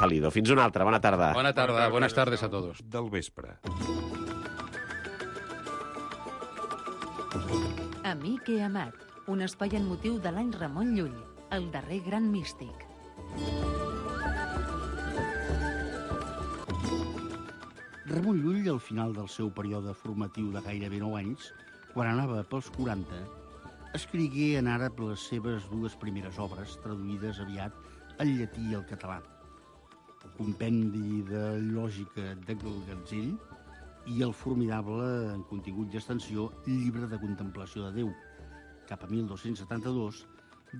Salido. Fins una altra, bona tarda. Bona tarda, buenas tardes a todos. Del vespre. Amic i amat, un espai en motiu de l'any Ramon Llull, el darrer gran místic. Ramon Llull, al final del seu període formatiu de gairebé 9 anys, quan anava pels 40, escrigué en àrab les seves dues primeres obres, traduïdes aviat al llatí i al català. Compendi de lògica de Gatzell i el formidable, en contingut i extensió, Llibre de contemplació de Déu, cap a 1272,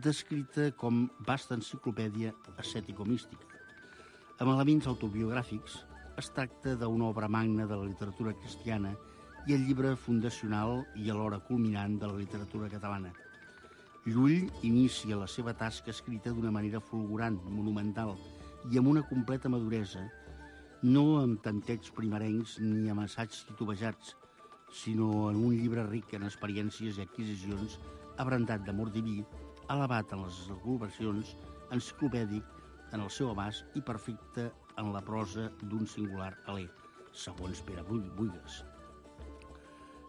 descrita com vasta enciclopèdia ascètico-mística. Amb elements autobiogràfics, es tracta d'una obra magna de la literatura cristiana i el llibre fundacional i alhora culminant de la literatura catalana. Llull inicia la seva tasca escrita d'una manera fulgurant, monumental i amb una completa maduresa, no amb tantets primerencs ni amb assaigs titubejats, sinó en un llibre ric en experiències i adquisicions, abrandat d'amor diví, elevat en les elucubracions, enciclopèdic en el seu abast i perfecte en la prosa d'un singular alè, segons Pere Buigues.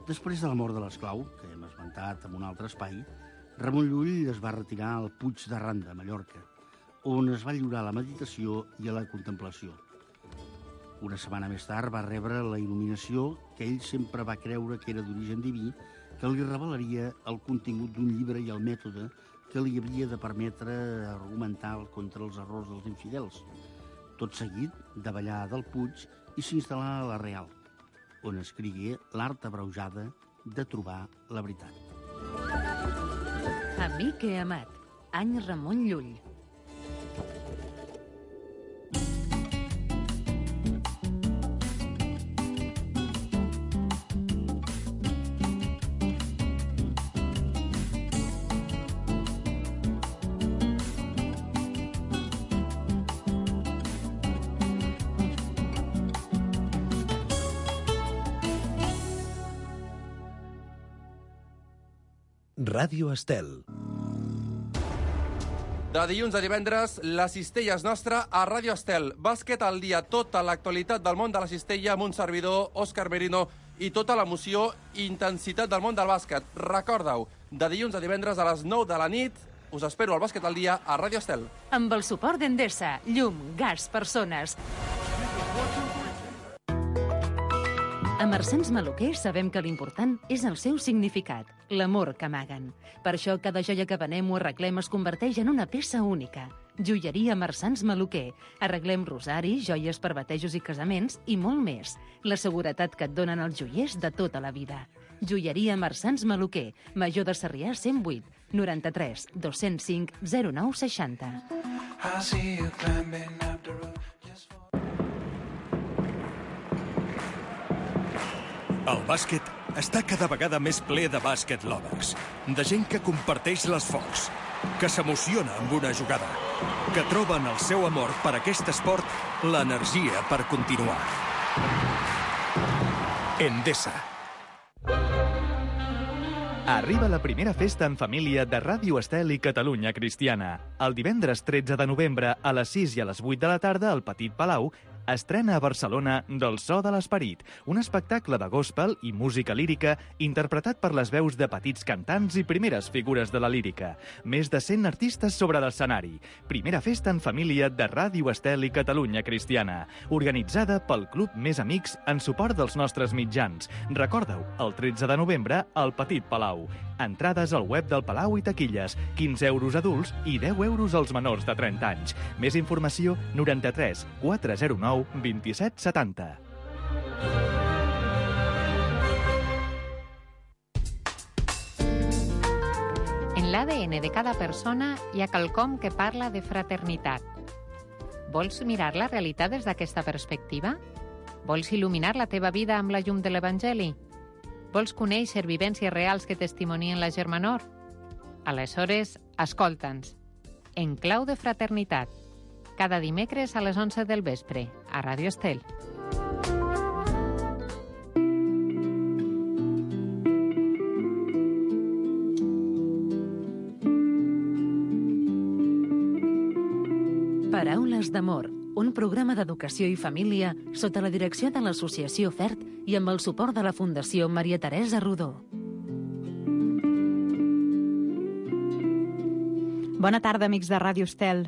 Després de la mort de l'esclau, que hem esmentat en un altre espai, Ramon Llull es va retirar al Puig de Randa, a Mallorca, on es va lliurar a la meditació i a la contemplació. Una setmana més tard va rebre la il·luminació que ell sempre va creure que era d'origen diví, que li revelaria el contingut d'un llibre i el mètode que li havia de permetre argumentar contra els errors dels infidels. Tot seguit, davallà del Puig i s'instal·là a la Real, on escrigué l'art abreujada de trobar la veritat. Amic i amat, any Ramon Llull. Ràdio Estel. De dilluns a divendres, la cistella és nostra a Ràdio Estel. Bàsquet al dia, tota l'actualitat del món de la cistella amb un servidor, Òscar Merino, i tota l'emoció i intensitat del món del bàsquet. Recorda-ho, de dilluns a divendres a les 9 de la nit, us espero al Bàsquet al dia a Ràdio Estel. Amb el suport d'Endesa, llum, gas, persones. A Marsans Maluquer sabem que l'important és el seu significat, l'amor que amaguen. Per això cada joia que venem o arreglem es converteix en una peça única. Joieria Marsans Maluquer. Arreglem rosaris, joies per batejos i casaments i molt més. La seguretat que et donen els joiers de tota la vida. Joieria Marsans Maluquer. Major de Sarrià 108 93 205 09 60. El bàsquet està cada vegada més ple de bàsquet lovers, de gent que comparteix l'esforç, que s'emociona amb una jugada, que troben el seu amor per aquest esport, l'energia per continuar. Endesa. Arriba la primera festa en família de Ràdio Estel i Catalunya Cristiana. El divendres 13 de novembre a les 6 i a les 8 de la tarda al Petit Palau estrena a Barcelona Del so de l'esperit, un espectacle de gospel i música lírica interpretat per les veus de petits cantants i primeres figures de la lírica. Més de 100 artistes sobre l'escenari. Primera festa en família de Ràdio Estel i Catalunya Cristiana, organitzada pel Club Més Amics en suport dels nostres mitjans. Recorda-ho, el 13 de novembre al Petit Palau. Entrades al web del Palau i taquilles, 15 euros adults i 10 euros als menors de 30 anys. Més informació 93 409 27 70. En l'ADN de cada persona hi ha quelcom que parla de fraternitat. Vols mirar la realitat des d'aquesta perspectiva? Vols il·luminar la teva vida amb la llum de l'Evangeli? Vols conèixer vivències reals que testimonien la germanor? Aleshores, escolta'ns. En clau de fraternitat. Cada dimecres a les 11 del vespre, a Ràdio Estel. Paraules d'amor, un programa d'Educació i Família sota la direcció de l'Associació FERT i amb el suport de la Fundació Maria Teresa Rodó. Bona tarda, amics de Ràdio Estel.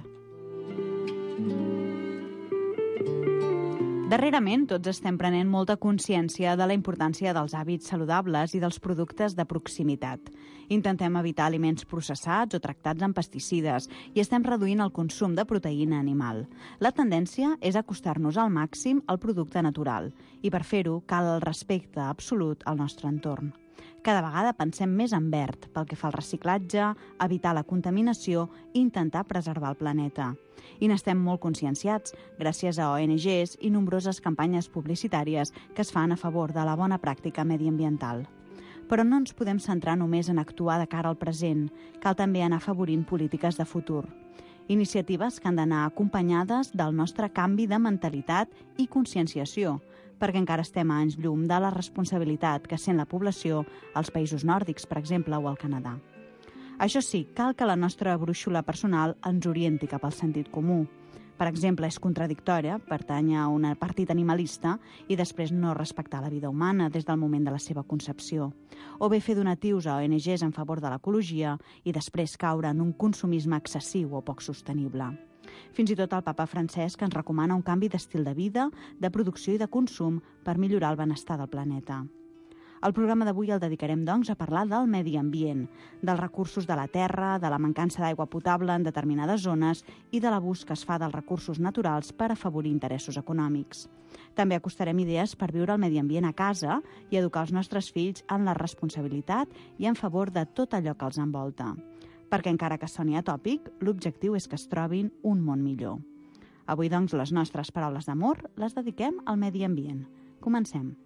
Darrerament, tots estem prenent molta consciència de la importància dels hàbits saludables i dels productes de proximitat. Intentem evitar aliments processats o tractats amb pesticides i estem reduint el consum de proteïna animal. La tendència és acostar-nos al màxim al producte natural i per fer-ho cal el respecte absolut al nostre entorn. Cada vegada pensem més en verd pel que fa al reciclatge, evitar la contaminació i intentar preservar el planeta. I n'estem molt conscienciats gràcies a ONGs i nombroses campanyes publicitàries que es fan a favor de la bona pràctica mediambiental. Però no ens podem centrar només en actuar de cara al present, cal també anar afavorint polítiques de futur. Iniciatives que han d'anar acompanyades del nostre canvi de mentalitat i conscienciació, perquè encara estem a anys llum de la responsabilitat que sent la població als països nòrdics, per exemple, o al Canadà. Això sí, cal que la nostra brúixola personal ens orienti cap al sentit comú. Per exemple, és contradictòria pertànyer a un partit animalista i després no respectar la vida humana des del moment de la seva concepció. O bé fer donatius a ONGs en favor de l'ecologia i després caure en un consumisme excessiu o poc sostenible. Fins i tot el papa Francesc ens recomana un canvi d'estil de vida, de producció i de consum per millorar el benestar del planeta. El programa d'avui el dedicarem, doncs, a parlar del medi ambient, dels recursos de la terra, de la mancança d'aigua potable en determinades zones i de l'abús que es fa dels recursos naturals per afavorir interessos econòmics. També acostarem idees per viure el medi ambient a casa i educar els nostres fills en la responsabilitat i en favor de tot allò que els envolta. Perquè encara que soni atòpic, l'objectiu és que es trobin un món millor. Avui, doncs, les nostres paraules d'amor les dediquem al medi ambient. Comencem.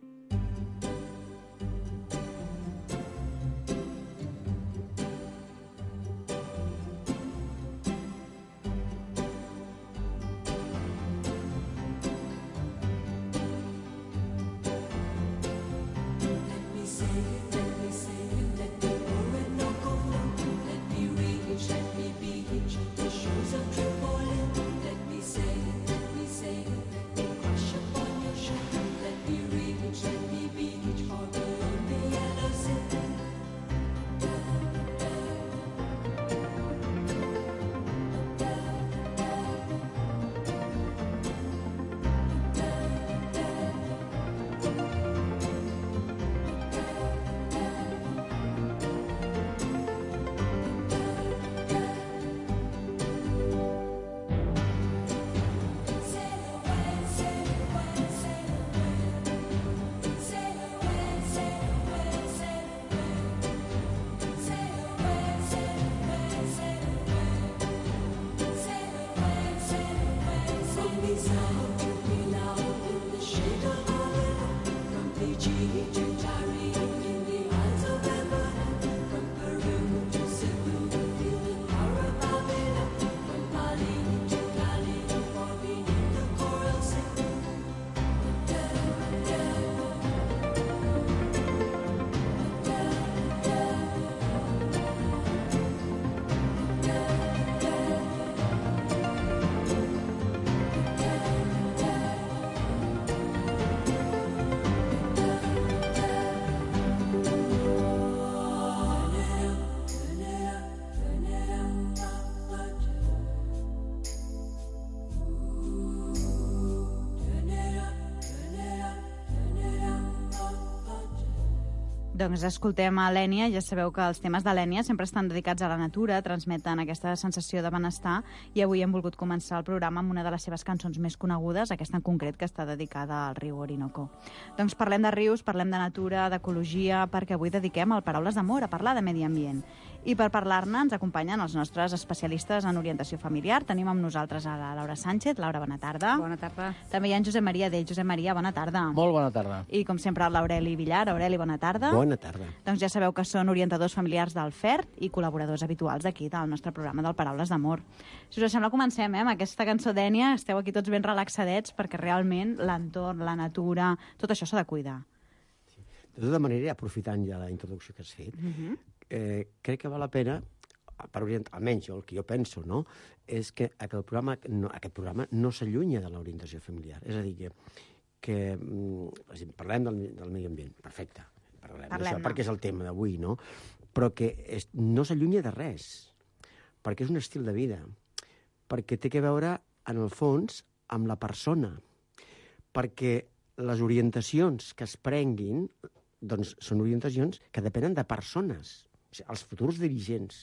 Doncs escoltem a l'Ènia. Ja sabeu que els temes de l'Ènia sempre estan dedicats a la natura, transmeten aquesta sensació de benestar, i avui hem volgut començar el programa amb una de les seves cançons més conegudes, aquesta en concret, que està dedicada al riu Orinoco. Doncs parlem de rius, parlem de natura, d'ecologia, perquè avui dediquem el Paraules d'Amor a parlar de medi ambient. I per parlar-ne ens acompanyen els nostres especialistes en orientació familiar. Tenim amb nosaltres a la Laura Sánchez. Laura, bona tarda. Bona tarda. També hi ha en Josep Maria Dell. Josep Maria, bona tarda. Molt bona tarda. I com sempre l'Aureli Villar. Aureli, bona tarda. Bona tarda. Doncs ja sabeu que són orientadors familiars del FERT i col·laboradors habituals aquí del nostre programa del Paraules d'Amor. Si us sembla, comencem amb aquesta cançó d'Ènia. Esteu aquí tots ben relaxadets perquè realment l'entorn, la natura, tot això s'ha de cuidar. De tota manera, aprofitant ja la introducció que has fet, crec que val la pena almenys el que jo penso, no?, és que aquest programa no s'allunya de l'orientació familiar. És a dir, que parlem del medi ambient, perfecte, parlem d'això, perquè és el tema d'avui, no?, però que no s'allunya de res, perquè és un estil de vida, perquè té a veure, en el fons, amb la persona, perquè les orientacions que es prenguin doncs són orientacions que depenen de persones. O sigui, els futurs dirigents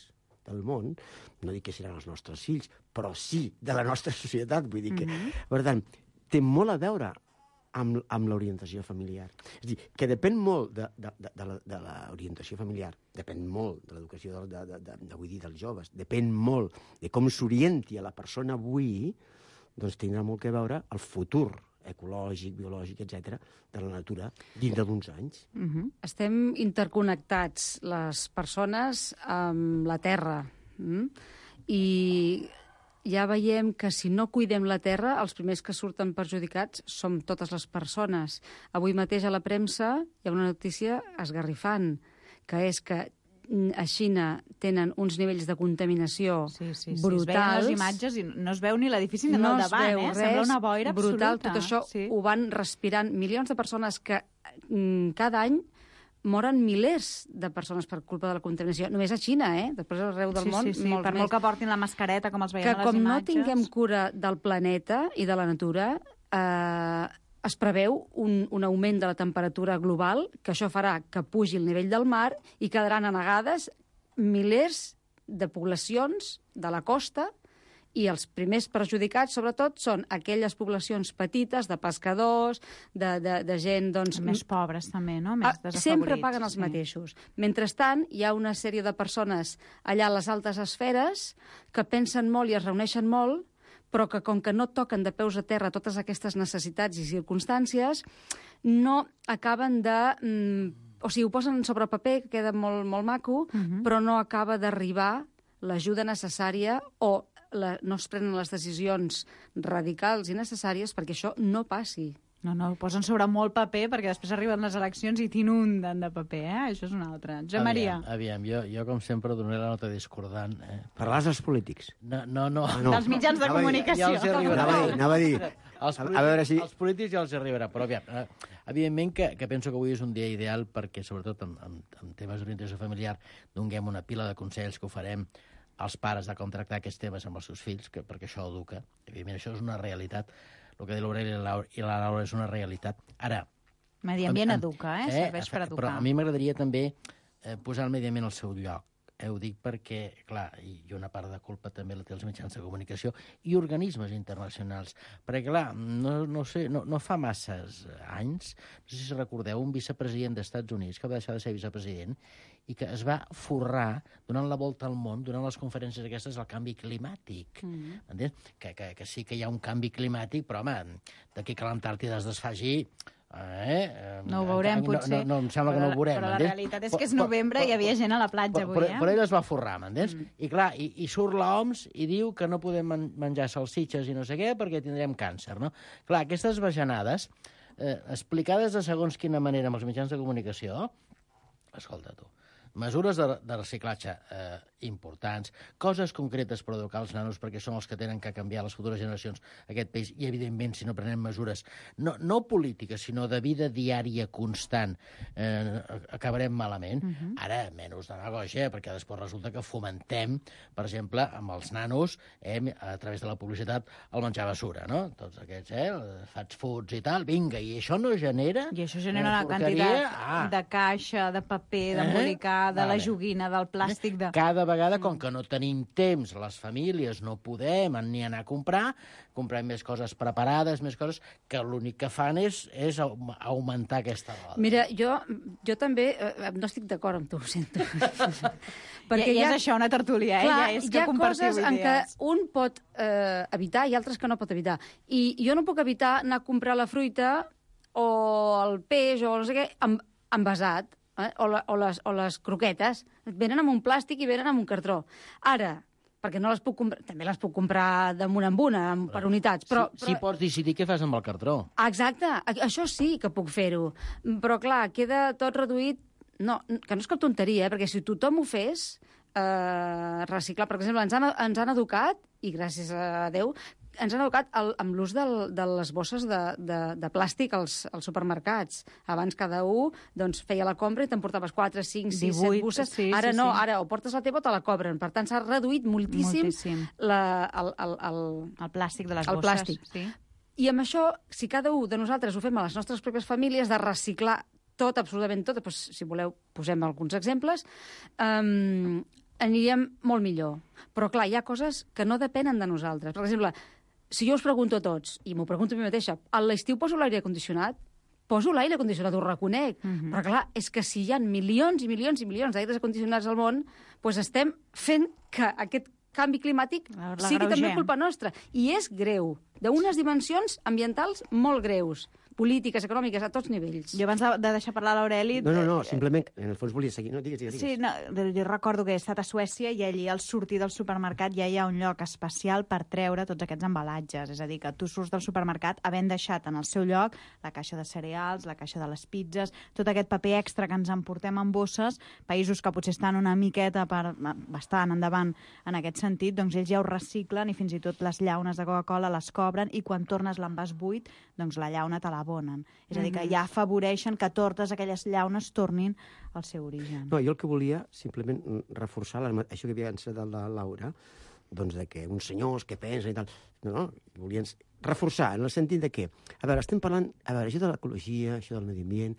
del món, no dic que seran els nostres fills, però sí de la nostra societat. Vull dir que, per tant, té molt a veure amb l'orientació familiar. És a dir, que depèn molt de l'orientació familiar, depèn molt de l'educació vull dir, dels joves, depèn molt de com s'orienti a la persona avui, doncs tindrà molt a veure el futur ecològic, biològic, etc., de la natura dintre d'uns anys. Estem interconnectats, les persones, amb la Terra. I ja veiem que si no cuidem la Terra, els primers que surten perjudicats som totes les persones. Avui mateix a la premsa hi ha una notícia esgarrifant, que és que a Xina tenen uns nivells de contaminació brutals. Es veien les imatges i no es veu ni l'edifici ni al davant, sembla una boira brutal. absoluta. Tot això ho van respirant milions de persones que cada any moren milers de persones per culpa de la contaminació. Només a Xina, després arreu del món, molts per més. molt que portin la mascareta, com els veiem a les Que com imatges. no tinguem cura del planeta i de la natura, es preveu un augment de la temperatura global, que això farà que pugi el nivell del mar i quedaran anegades milers de poblacions de la costa, i els primers perjudicats, sobretot, són aquelles poblacions petites, de pescadors, de gent, doncs... Més pobres, també, no? Més desafavorits. Sempre paguen els mateixos. Mentrestant, hi ha una sèrie de persones allà a les altes esferes que pensen molt i es reuneixen molt, però que com que no toquen de peus a terra totes aquestes necessitats i circumstàncies, no acaben de... O sigui, ho posen sobre paper, que queda molt, molt maco, però no acaba d'arribar l'ajuda necessària o no es prenen les decisions radicals i necessàries perquè això no passi. No, ho posen sobre molt paper perquè després arriben les eleccions i t'inunden de paper, Això és una altra. Josep Maria. Aviam, jo com sempre donaré la nota discordant. Parlaràs dels polítics? No. Dels mitjans de comunicació. Ja els arribarà. Anava a dir. A veure si... Els polítics ja els arribarà, però aviam, evidentment que penso que avui és un dia ideal perquè, sobretot en temes d'orientació familiar, donem una pila de consells que ho farem als pares de com tractar aquests temes amb els seus fills, perquè això educa. Evidentment, això és una realitat. El que diu l'Aureli i la Laura és una realitat. Ara... Medi ambient educa, serveix per educar. Però a mi m'agradaria també posar el medi ambient al seu lloc. Ho dic perquè, clar, i una part de culpa també la té els mitjans de comunicació i organismes internacionals. Perquè, clar, no fa masses anys, no sé si recordeu, un vicepresident dels Estats Units que va deixar de ser vicepresident i que es va forrar donant la volta al món, donant les conferències aquestes al canvi climàtic. Entens? Que sí que hi ha un canvi climàtic, però, home, d'aquí que l'Antàrtida es desfaci... No ho veurem, potser. No, em sembla que no ho veurem. Però la realitat és que és novembre i hi havia gent a la platja avui, Però ell es va forrar, m'entens? I clar, i surt l'OMS i diu que no podem menjar salsitxes i no sé què perquè tindrem càncer, no? Clar, aquestes bajanades, explicades de segons quina manera amb els mitjans de comunicació, escolta tu, mesures de reciclatge importants, coses concretes per educar els nanos perquè són els que tenen que canviar les futures generacions aquest país i, evidentment, si no prenem mesures no polítiques, sinó de vida diària constant, acabarem malament. Ara, menys demagògia, perquè després resulta que fomentem, per exemple, amb els nanos, a través de la publicitat, el menjar basura, no? Tots aquests, fast foods i tal, vinga, i això no genera... I això genera una quantitat de caixa, de paper, d'embolicar, de la joguina, del plàstic... Cada vegada, com que no tenim temps, les famílies no podem ni anar a comprar, comprem més coses preparades, més coses, que l'únic que fan és augmentar aquesta roda. Mira, jo també no estic d'acord amb tu, ho sento. Perquè ja és això, una tertúlia, clar, ja és que compartiu idees. Hi ha coses en què un pot evitar i altres que no pot evitar. I jo no puc evitar anar a comprar la fruita o el peix o no sé què envasat. O les croquetes, venen amb un plàstic i venen amb un cartró. Ara, perquè no les puc comprar, també les puc comprar damunt amb una, per unitats, però... Sí, pots decidir què fas amb el cartró. Exacte, això sí que puc fer-ho, però clar, queda tot reduït... No, que no és cap tonteria, perquè si tothom ho fes, reciclar. Per exemple, ens han educat, i gràcies a Déu, ens han educat amb l'ús de les bosses de plàstic als supermercats. Abans cada un feia la compra i t'emportaves 4, 5, 6, 7 bosses. Ara no, ara o portes la teva o te la cobren. Per tant, s'ha reduït moltíssim el plàstic de les bosses. Plàstic. Sí. I amb això, si cada un de nosaltres ho fem a les nostres pròpies famílies, de reciclar tot, absolutament tot, doncs, si voleu, posem alguns exemples, aniríem molt millor. Però, clar, hi ha coses que no depenen de nosaltres. Per exemple, si jo us pregunto a tots, i m'ho pregunto a mi mateixa, a l'estiu poso l'aire condicionat? Poso l'aire condicionat, ho reconec. Però, clar, és que si hi ha milions i milions i milions d'aires condicionats al món, doncs estem fent que aquest canvi climàtic sigui també culpa nostra. I és greu, d'unes dimensions ambientals molt greus, polítiques, econòmiques, a tots nivells. Jo abans de deixar parlar l'Aureli... No, simplement, en el fons volia seguir. No, digues. Sí, no, jo recordo que he estat a Suècia i allí al sortir del supermercat ja hi ha un lloc especial per treure tots aquests embalatges. És a dir, que tu surts del supermercat havent deixat en el seu lloc la caixa de cereals, la caixa de les pizzas, tot aquest paper extra que ens emportem en bosses, països que potser estan una miqueta bastant endavant en aquest sentit, doncs ells ja ho reciclen i fins i tot les llaunes de Coca-Cola les cobren i quan tornes l'envàs buit, doncs la llauna te l'abonen. És a dir, que ja afavoreixen que totes aquelles llaunes tornin al seu origen. No, jo el que volia simplement reforçar això que havia encetat la Laura, doncs de que uns senyors que pensen i tal, no, volien reforçar en el sentit de que, a veure, estem parlant, això de l'ecologia, això del medi ambient,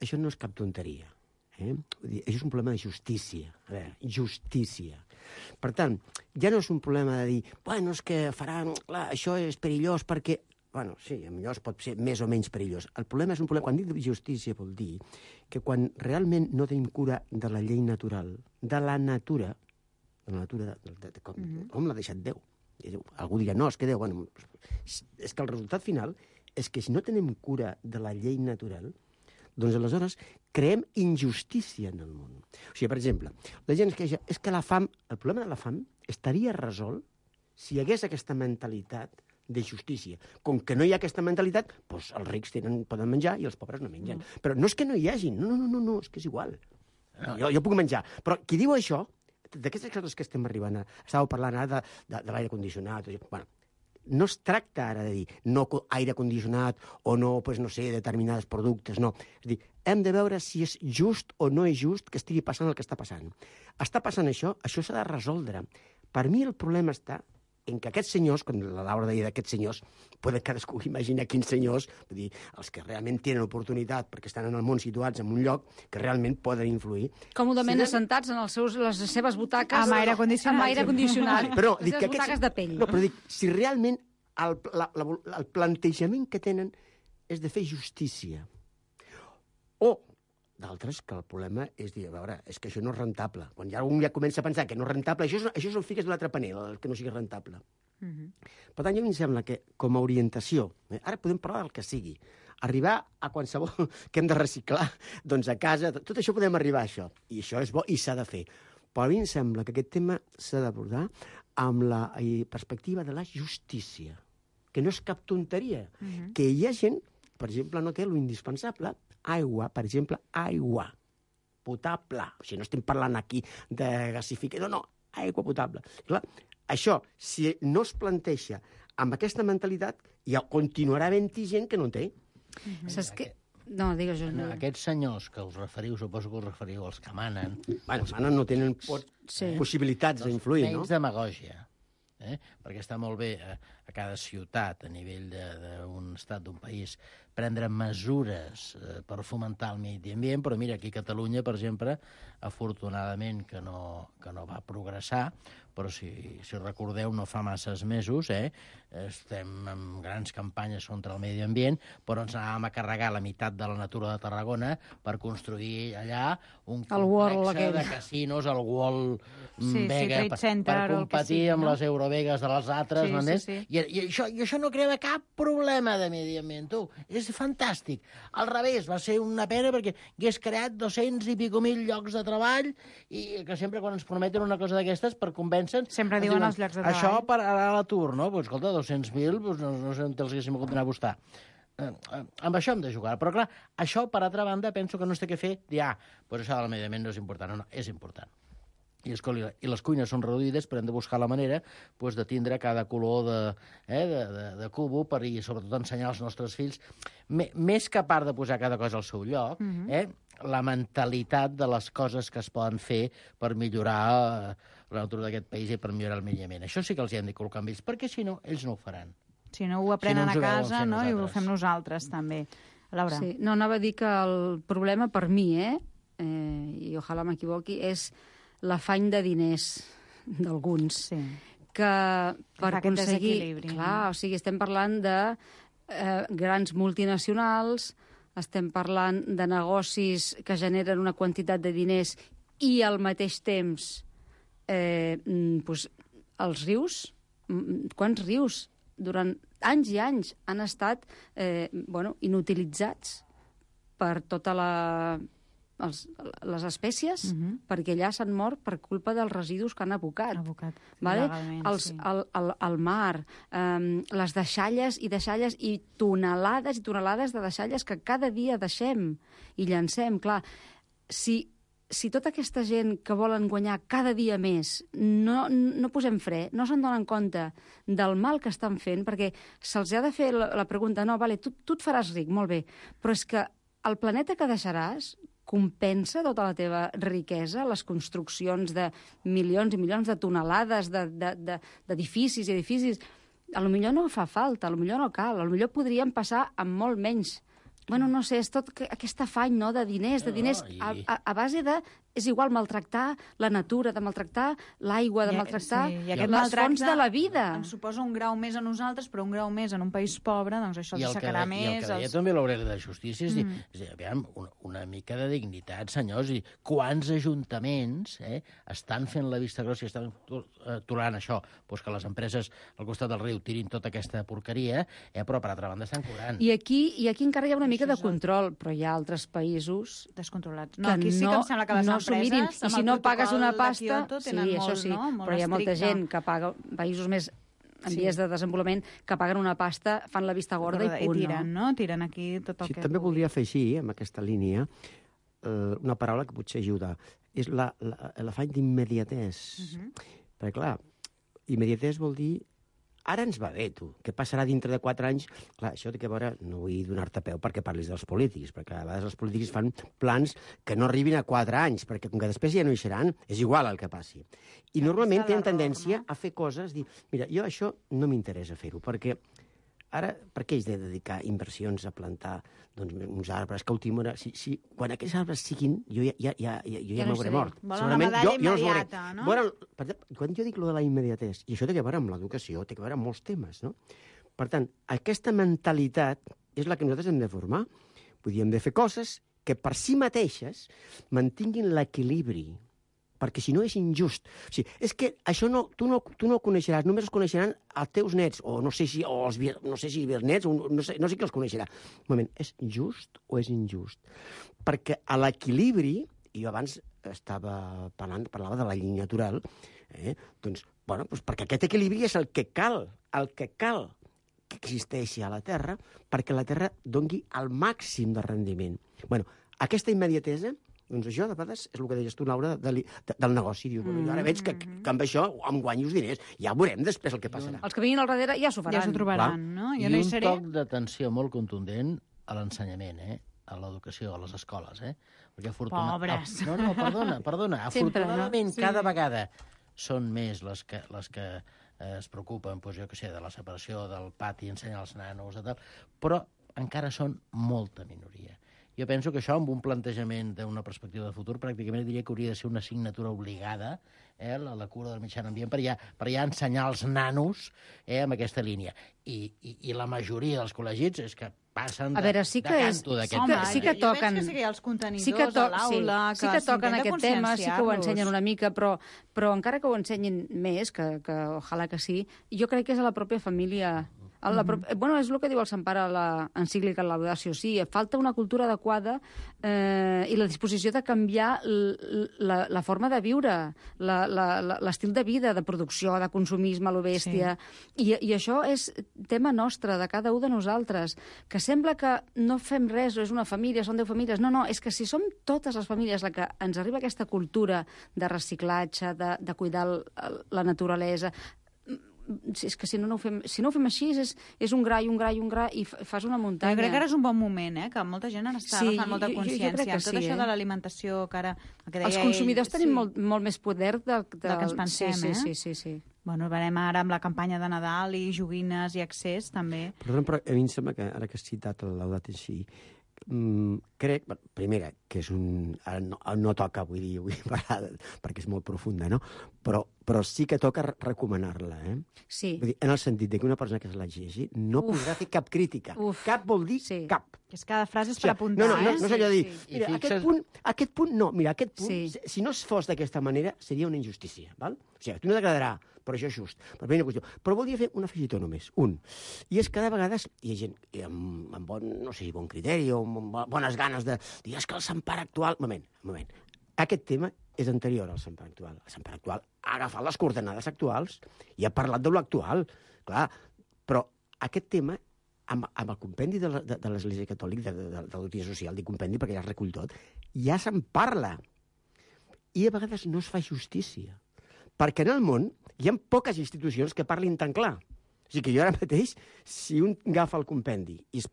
això no és cap tonteria. Vull dir, això és un problema de justícia. A veure, justícia. Per tant, ja no és un problema de dir, bueno, és que faran, clar, això és perillós perquè... Bueno, sí, millor pot ser més o menys perillós. El problema és un problema... Quan dic justícia vol dir que quan realment no tenim cura de la llei natural, de la natura, com l'ha deixat Déu. Algú dirà, no, és que Déu... Bueno, és que el resultat final és que si no tenim cura de la llei natural, doncs aleshores creem injustícia en el món. O sigui, per exemple, la gent es queixa, és que la fam, el problema de la fam estaria resolt si hi hagués aquesta mentalitat de justícia. Com que no hi ha aquesta mentalitat, doncs els rics poden menjar i els pobres no mengen. Però no és que no hi hagin, no, és que és igual. Jo puc menjar. Però qui diu això, d'aquestes coses que estem arribant estàveu parlant ara de l'aire condicionat, bueno, no es tracta ara de dir no aire condicionat o no, pues, no sé, determinats productes, no. És a dir, hem de veure si és just o no és just que estigui passant el que està passant. Està passant això s'ha de resoldre. Per mi el problema està en que aquests senyors, quan la Laura deia d'aquests senyors, poden cadascú imaginar quins senyors, vull dir, els que realment tenen oportunitat perquè estan en el món situats en un lloc que realment poden influir. Còmodament assentats en les seves butaques amb aire condicionat. Amb aire condicionat. Però, les seves butaques de pell. No, però dic, si realment el plantejament que tenen és de fer justícia. O d'altres que el problema és dir, a veure, és que això no és rentable. Quan ja algú ja comença a pensar que no és rentable, això és el fiques de l'altre panel, el que no sigui rentable. Per tant, a mi em sembla que, com a orientació, ara podem parlar del que sigui, arribar a qualsevol que hem de reciclar, doncs a casa, tot això podem arribar a això. I això és bo i s'ha de fer. Però a mi em sembla que aquest tema s'ha d'abordar amb la perspectiva de la justícia, que no és cap tonteria. Que hi ha gent, per exemple, no té lo indispensable, aigua, per exemple, aigua potable. O sigui, no estem parlant aquí de gasificació, no, aigua potable. Clar, això, si no es planteja amb aquesta mentalitat, ja continuarà havent-hi gent que no en té. Saps què? No, digues jo. Aquests senyors que us referiu, suposo que us referiu als que manen... Bueno, els manen no tenen possibilitats d'influir, no? Menys demagògia. Perquè està molt bé a cada ciutat, a nivell d'un estat, d'un país, prendre mesures per fomentar el medi ambient, però mira, aquí a Catalunya, per exemple, afortunadament que no va progressar, però si recordeu, no fa masses mesos, estem amb grans campanyes contra el medi ambient, però ens anàvem a carregar la meitat de la natura de Tarragona per construir allà un complex de casinos, el World Vega, per competir amb les Eurovegas de les altres, i això no crea cap problema de medi ambient, tu. És fantàstic. Al revés, va ser una pena perquè hagués creat 200 i pico mil llocs de treball i que sempre quan ens prometen una cosa d'aquestes per convèncer... Sempre diuen els llocs de treball. Això pararà a l'atur, no? Pues, escolta, 200.000, pues, no sé on els haguéssim hagut d'anar a buscar. Amb això hem de jugar. Però, clar, això, per altra banda, penso que no es té que fer dir, pues això del medi ambient no és important. No, és important. I les cuines són reduïdes, però hem de buscar la manera de tindre cada color de cubo i sobretot ensenyar als nostres fills, més que a part de posar cada cosa al seu lloc, la mentalitat de les coses que es poden fer per millorar la natura d'aquest país i per millorar el medi ambient. Això sí que els hi hem de col·locar amb ells, perquè si no, ells no ho faran. Si no ho aprenen a casa, no? I ho fem nosaltres, també. Laura. Sí, no, anava a dir que el problema per mi, i ojalà m'equivoqui, és l'afany de diners d'alguns, que per aconseguir... Clar, o sigui, estem parlant de grans multinacionals, estem parlant de negocis que generen una quantitat de diners i al mateix temps els rius, quants rius durant anys i anys han estat inutilitzats per tota les espècies, perquè allà s'han mort per culpa dels residus que han abocat. El mar, les deixalles i tonelades de deixalles que cada dia deixem i llancem. Clar, si tota aquesta gent que volen guanyar cada dia més no posem fre, no se'n donen compte del mal que estan fent, perquè se'ls ha de fer la pregunta, no, vale, tu et faràs ric, molt bé, però és que el planeta que deixaràs compensa tota la teva riquesa, les construccions de milions i milions de tonelades d'edificis i edificis. Potser no fa falta, potser no cal, potser podríem passar amb molt menys. Bueno, no sé, és tot aquest afany de diners, a base de... És igual maltractar la natura, de maltractar l'aigua, de maltractar les fonts de la vida. Ens suposa un grau més a nosaltres, però un grau més en un país pobre, doncs això s'assecarà més. I el que deia també l'obrera de justícia és dir, aviam, una mica de dignitat, senyors, i quants ajuntaments estan fent la vista grossa i estan tolerant això, que les empreses al costat del riu tirin tota aquesta porqueria, però per altra banda estan cobrant. I aquí encara hi ha una mica de control, però hi ha altres països descontrolats. No, aquí sí que em sembla que les empreses, i si no pagues una pasta, això sí, però hi ha molta gent que paga, països més en vies de desenvolupament, que paguen una pasta, fan la vista gorda i punt. Tiren aquí tot el que... També voldria afegir, amb aquesta línia, una paraula que potser ajuda. És l'afany d'immediatès. Perquè, clar, immediatès vol dir ara ens va bé, tu. Què passarà dintre de 4 anys? Clar, això té que veure, no vull donar-te peu perquè parlis dels polítics, perquè a vegades els polítics fan plans que no arribin a 4 anys, perquè com que després ja no hi seran, és igual el que passi. I normalment tenen tendència a fer coses, dir, mira, jo això no m'interessa fer-ho, perquè ara, per què haig de dedicar inversions a plantar uns arbres que última hora... Quan aquests arbres siguin, jo ja m'hauré mort. Volen una medalla immediata, no? Quan jo dic lo de la immediatesa, i això té a veure amb l'educació, té a veure amb molts temes, no? Per tant, aquesta mentalitat és la que nosaltres hem de formar. Vull dir, hem de fer coses que per si mateixes mantinguin l'equilibri, perquè si no és injust. O sigui, és que això tu no ho coneixeràs, només els coneixeran els teus nets, o no sé si els nets, no sé qui els coneixerà. Un moment, és just o és injust? Perquè a l'equilibri, i jo abans parlava de la llei natural, doncs perquè aquest equilibri és el que cal que existeixi a la Terra perquè la Terra doni el màxim de rendiment. Aquesta immediatesa, doncs això, de vegades, és el que deies tu, Laura, del negoci. Diu, ara veig que amb això em guanyo els diners. Ja veurem després el que passarà. Els que vinguin al darrere ja s'ho faran. Ja s'ho trobaran, no? I un toc d'atenció molt contundent a l'ensenyament, a l'educació, a les escoles, Perquè pobres! No, perdona. Afortunadament, cada vegada són més les que es preocupen, jo què sé, de la separació del pati, ensenyar als nanos, però encara són molta minoria. Jo penso que això, amb un plantejament d'una perspectiva de futur, pràcticament diria que hauria de ser una assignatura obligada, la cura del mitjà ambient, per ja ensenyar als nanos amb aquesta línia. I la majoria dels col·legis és que passen de canto d'aquest tema. Sí que toquen. Jo veig que els contenidors a l'aula, sí que toquen aquest tema, sí que ho ensenyen una mica, però encara que ho ensenyin més, que ojalà que sí, jo crec que és a la pròpia família Bueno, és el que diu el Sant Pare a l'encíclica Laudatio Si. Falta una cultura adequada i la disposició de canviar la forma de viure, l'estil de vida, de producció, de consumisme a lo bèstia. I això és tema nostre, de cada un de nosaltres, que sembla que no fem res, és una família, són 10 famílies. No, és que si som totes les famílies la que ens arriba aquesta cultura de reciclatge, de cuidar la naturalesa, és que si no ho fem així és un gra i un gra i un gra i fas una muntanya. Jo crec que ara és un bon moment, que molta gent ara està agafant molta consciència. Tot això de l'alimentació que ara... Els consumidors tenim molt més poder del que ens pensem, Sí. Bueno, veurem ara amb la campanya de Nadal i joguines i accés, també. Però a mi em sembla que, ara que has citat el Laudato Si, crec, primera, que és ara no toca, vull parlar, perquè és molt profunda, no? Però sí que toca recomanar-la, Sí. Vull dir, en el sentit que una persona que se la llegeixi no podrà fer cap crítica. Cap vol dir cap. És cada frase és per apuntar, No és allò de dir, mira, aquest punt, si no es fos d'aquesta manera, seria una injustícia, val? O sigui, a tu no t'agradarà, però això és just. Primera qüestió. Però voldria fer un afegitó només, i és que de vegades hi ha gent amb bon criteri o amb bones ganes de dir, és que el Sant Pare actual... Moment. Aquest tema és anterior al Sant Pare actual. El Sant Pare actual ha agafat les coordenades actuals i ha parlat de l'actual. Clar, però aquest tema, amb el compendi de l'Església Catòlica, de la doctrina social, dic compendi perquè ja es recull tot, ja se'n parla. I a vegades no es fa justícia. Perquè en el món hi ha poques institucions que parlin tan clar. O sigui que jo ara mateix, si un agafa el compendi i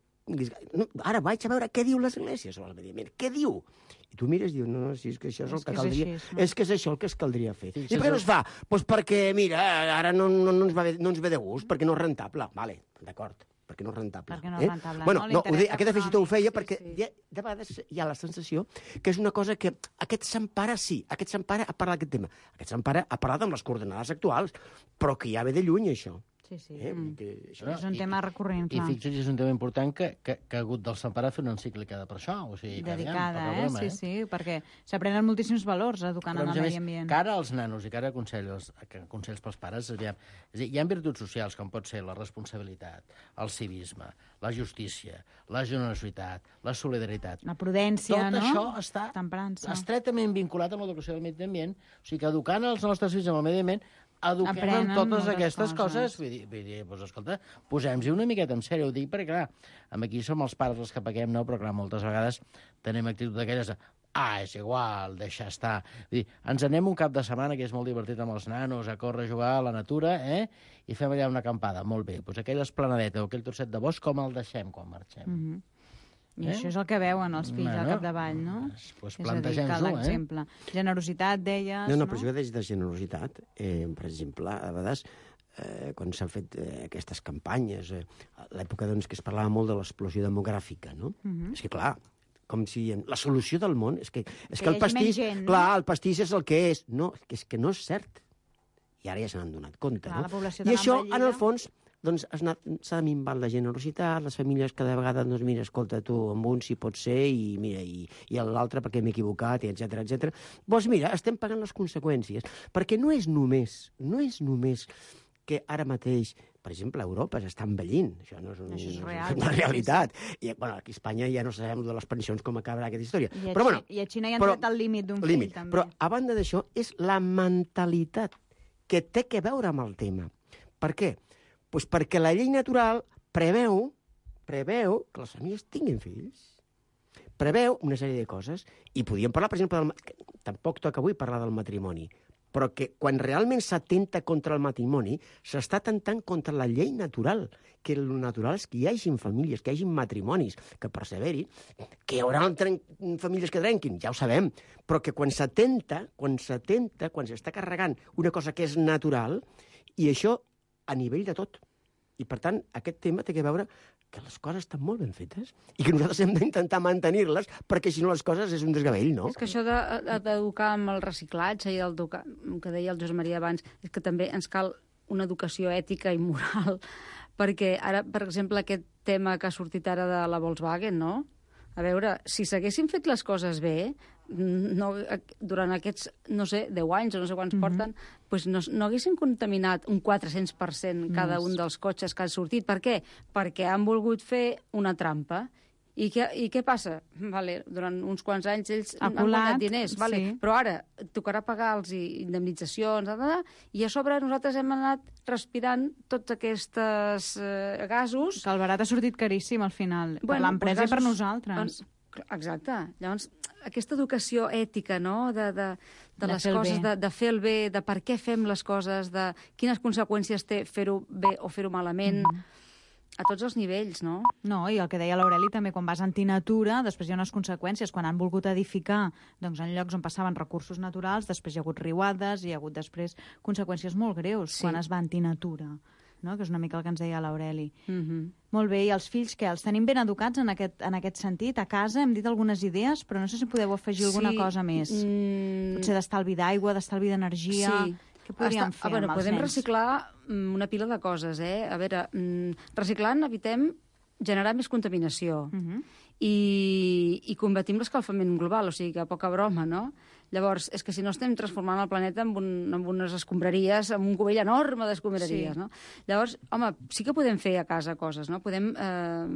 ara vaig a veure què diu l'Església sobre el medi ambient, què diu? I tu mires i dius, no, si és que això és el que caldria... És que és això el que es caldria fer. I per què no es fa? Doncs perquè, mira, ara no ens ve de gust, perquè no és rentable. Vale, d'acord, perquè no és rentable. Perquè no és rentable, bueno, no, aquest afegitó ho feia perquè de vegades hi ha la sensació que és una cosa que aquest Sant Pare aquest Sant Pare ha parlat d'aquest tema. Aquest Sant Pare ha parlat amb les coordenades actuals, però que ja ve de lluny, això. Sí. És un tema recurrent, clar. I fixa't, és un tema important que ha hagut del Sant Pare fer una encíclica per això. O sigui, dedicada, sí, perquè s'aprenen moltíssims valors educant en el medi ambient. Cara als nanos i cara a consells pels pares, és a dir, hi ha virtuts socials, com pot ser la responsabilitat, el civisme, la justícia, la generositat, la solidaritat. La prudència, Tot això està estretament vinculat amb l'educació del medi ambient, o sigui que educant els nostres fills amb el medi ambient eduquem en totes aquestes coses. Vull dir, doncs, escolta, posem-hi una miqueta en sèrio, ho dic, perquè, clar, aquí som els pares els que paguem, no? Però, clar, moltes vegades tenim actitud d'aquelles de és igual, deixa estar. Vull dir, ens anem un cap de setmana, que és molt divertit amb els nanos, a córrer, a jugar a la natura, i fem allà una acampada. Molt bé, doncs aquella esplanadeta o aquell trosset de bosc, com el deixem quan marxem? I això és el que veuen els fills al capdavall, no? Doncs plantegem-ho, l'exemple. Generositat, deies, no? Però això que deies de generositat, per exemple, a vegades, quan s'han fet aquestes campanyes, a l'època que es parlava molt de l'explosió demogràfica, no? És que, clar, com si la solució del món és que el pastís... Clar, el pastís és el que és. No, és que no és cert. I ara ja se n'han donat compte, no? I això, en el fons... doncs s'ha minvat la generositat, les famílies cada vegada, doncs mira, escolta, tu, amb un si pot ser, i mira, i l'altre perquè m'he equivocat, i etc. Doncs mira, estem pagant les conseqüències, perquè no és només que ara mateix, per exemple, Europa s'està envellint, això no és una realitat. I, bueno, aquí a Espanya ja no sabem de les pensions com acabarà aquesta història. I a Xina ja han tret el límit d'un fill, també. Però, a banda d'això, és la mentalitat que té que veure amb el tema. Per què? Doncs perquè la llei natural preveu que les famílies tinguin fills. Preveu una sèrie de coses. I podíem parlar, per exemple, tampoc toca avui parlar del matrimoni, però que quan realment s'atenta contra el matrimoni, s'està atentant contra la llei natural, que el natural és que hi hagin famílies, que hi hagin matrimonis, que perseveri, que hi haurà famílies que trenquin, ja ho sabem, però que quan s'atenta, quan s'està carregant una cosa que és natural, i això a nivell de tot. I, per tant, aquest tema té que veure que les coses estan molt ben fetes i que nosaltres hem d'intentar mantenir-les perquè, si no, les coses és un desgavell, no? És que això d'educar amb el reciclatge i el que deia el Josep Maria abans, és que també ens cal una educació ètica i moral, perquè ara, per exemple, aquest tema que ha sortit ara de la Volkswagen, no? A veure, si s'haguessin fet les coses bé, durant aquests, no sé, 10 anys o no sé quants porten, doncs no haguessin contaminat un 400% cada un dels cotxes que han sortit. Per què? Perquè han volgut fer una trampa. I què passa? Vale, durant uns quants anys ells han guanyat diners, vale, però ara tocarà pagar-los indemnitzacions, i a sobre nosaltres hem anat respirant tots aquests gasos. Que el barat ha sortit caríssim al final, per l'empresa i per nosaltres. Exacte. Llavors, aquesta educació ètica, no?, de les coses, de fer el bé, de per què fem les coses, de quines conseqüències té fer-ho bé o fer-ho malament, a tots els nivells, no? No, i el que deia l'Aureli també, quan vas antinatura, després hi ha unes conseqüències. Quan han volgut edificar doncs, en llocs on passaven recursos naturals, després hi ha hagut riuades, hi ha hagut després conseqüències molt greus quan es va antinatura, no? Que és una mica el que ens deia l'Aureli. Molt bé, i els fills, què? Els tenim ben educats en aquest sentit? A casa hem dit algunes idees, però no sé si podeu afegir alguna cosa més. Potser d'estalvi d'aigua, d'estalvi d'energia... Què podríem fer amb els nens? Podem reciclar una pila de coses, A veure, reciclant evitem generar més contaminació i combatim l'escalfament global, o sigui que poca broma, no? Llavors, és que si no estem transformant el planeta en unes escombraries, en un cubell enorme d'escombraries, no? Llavors, home, sí que podem fer a casa coses, no? Podem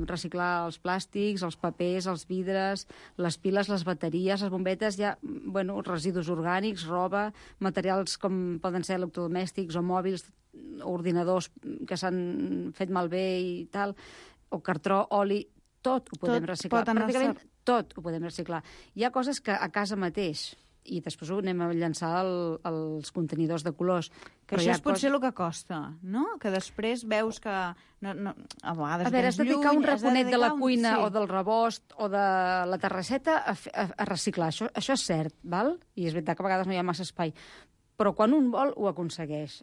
reciclar els plàstics, els papers, els vidres, les piles, les bateries, les bombetes, residus orgànics, roba, materials com poden ser electrodomèstics o mòbils, ordinadors que s'han fet malbé i tal, o cartró, oli, tot ho podem reciclar. Pràcticament tot ho podem reciclar. Hi ha coses que a casa mateix, i després ho anem a llançar als contenidors de colors. Que això és potser el que costa, no? Que després veus que a vegades has de dedicar un raconet de la cuina o del rebost o de la terrasseta a reciclar. Això és cert, val? I és veritat que a vegades no hi ha massa espai. Però quan un vol, ho aconsegueix.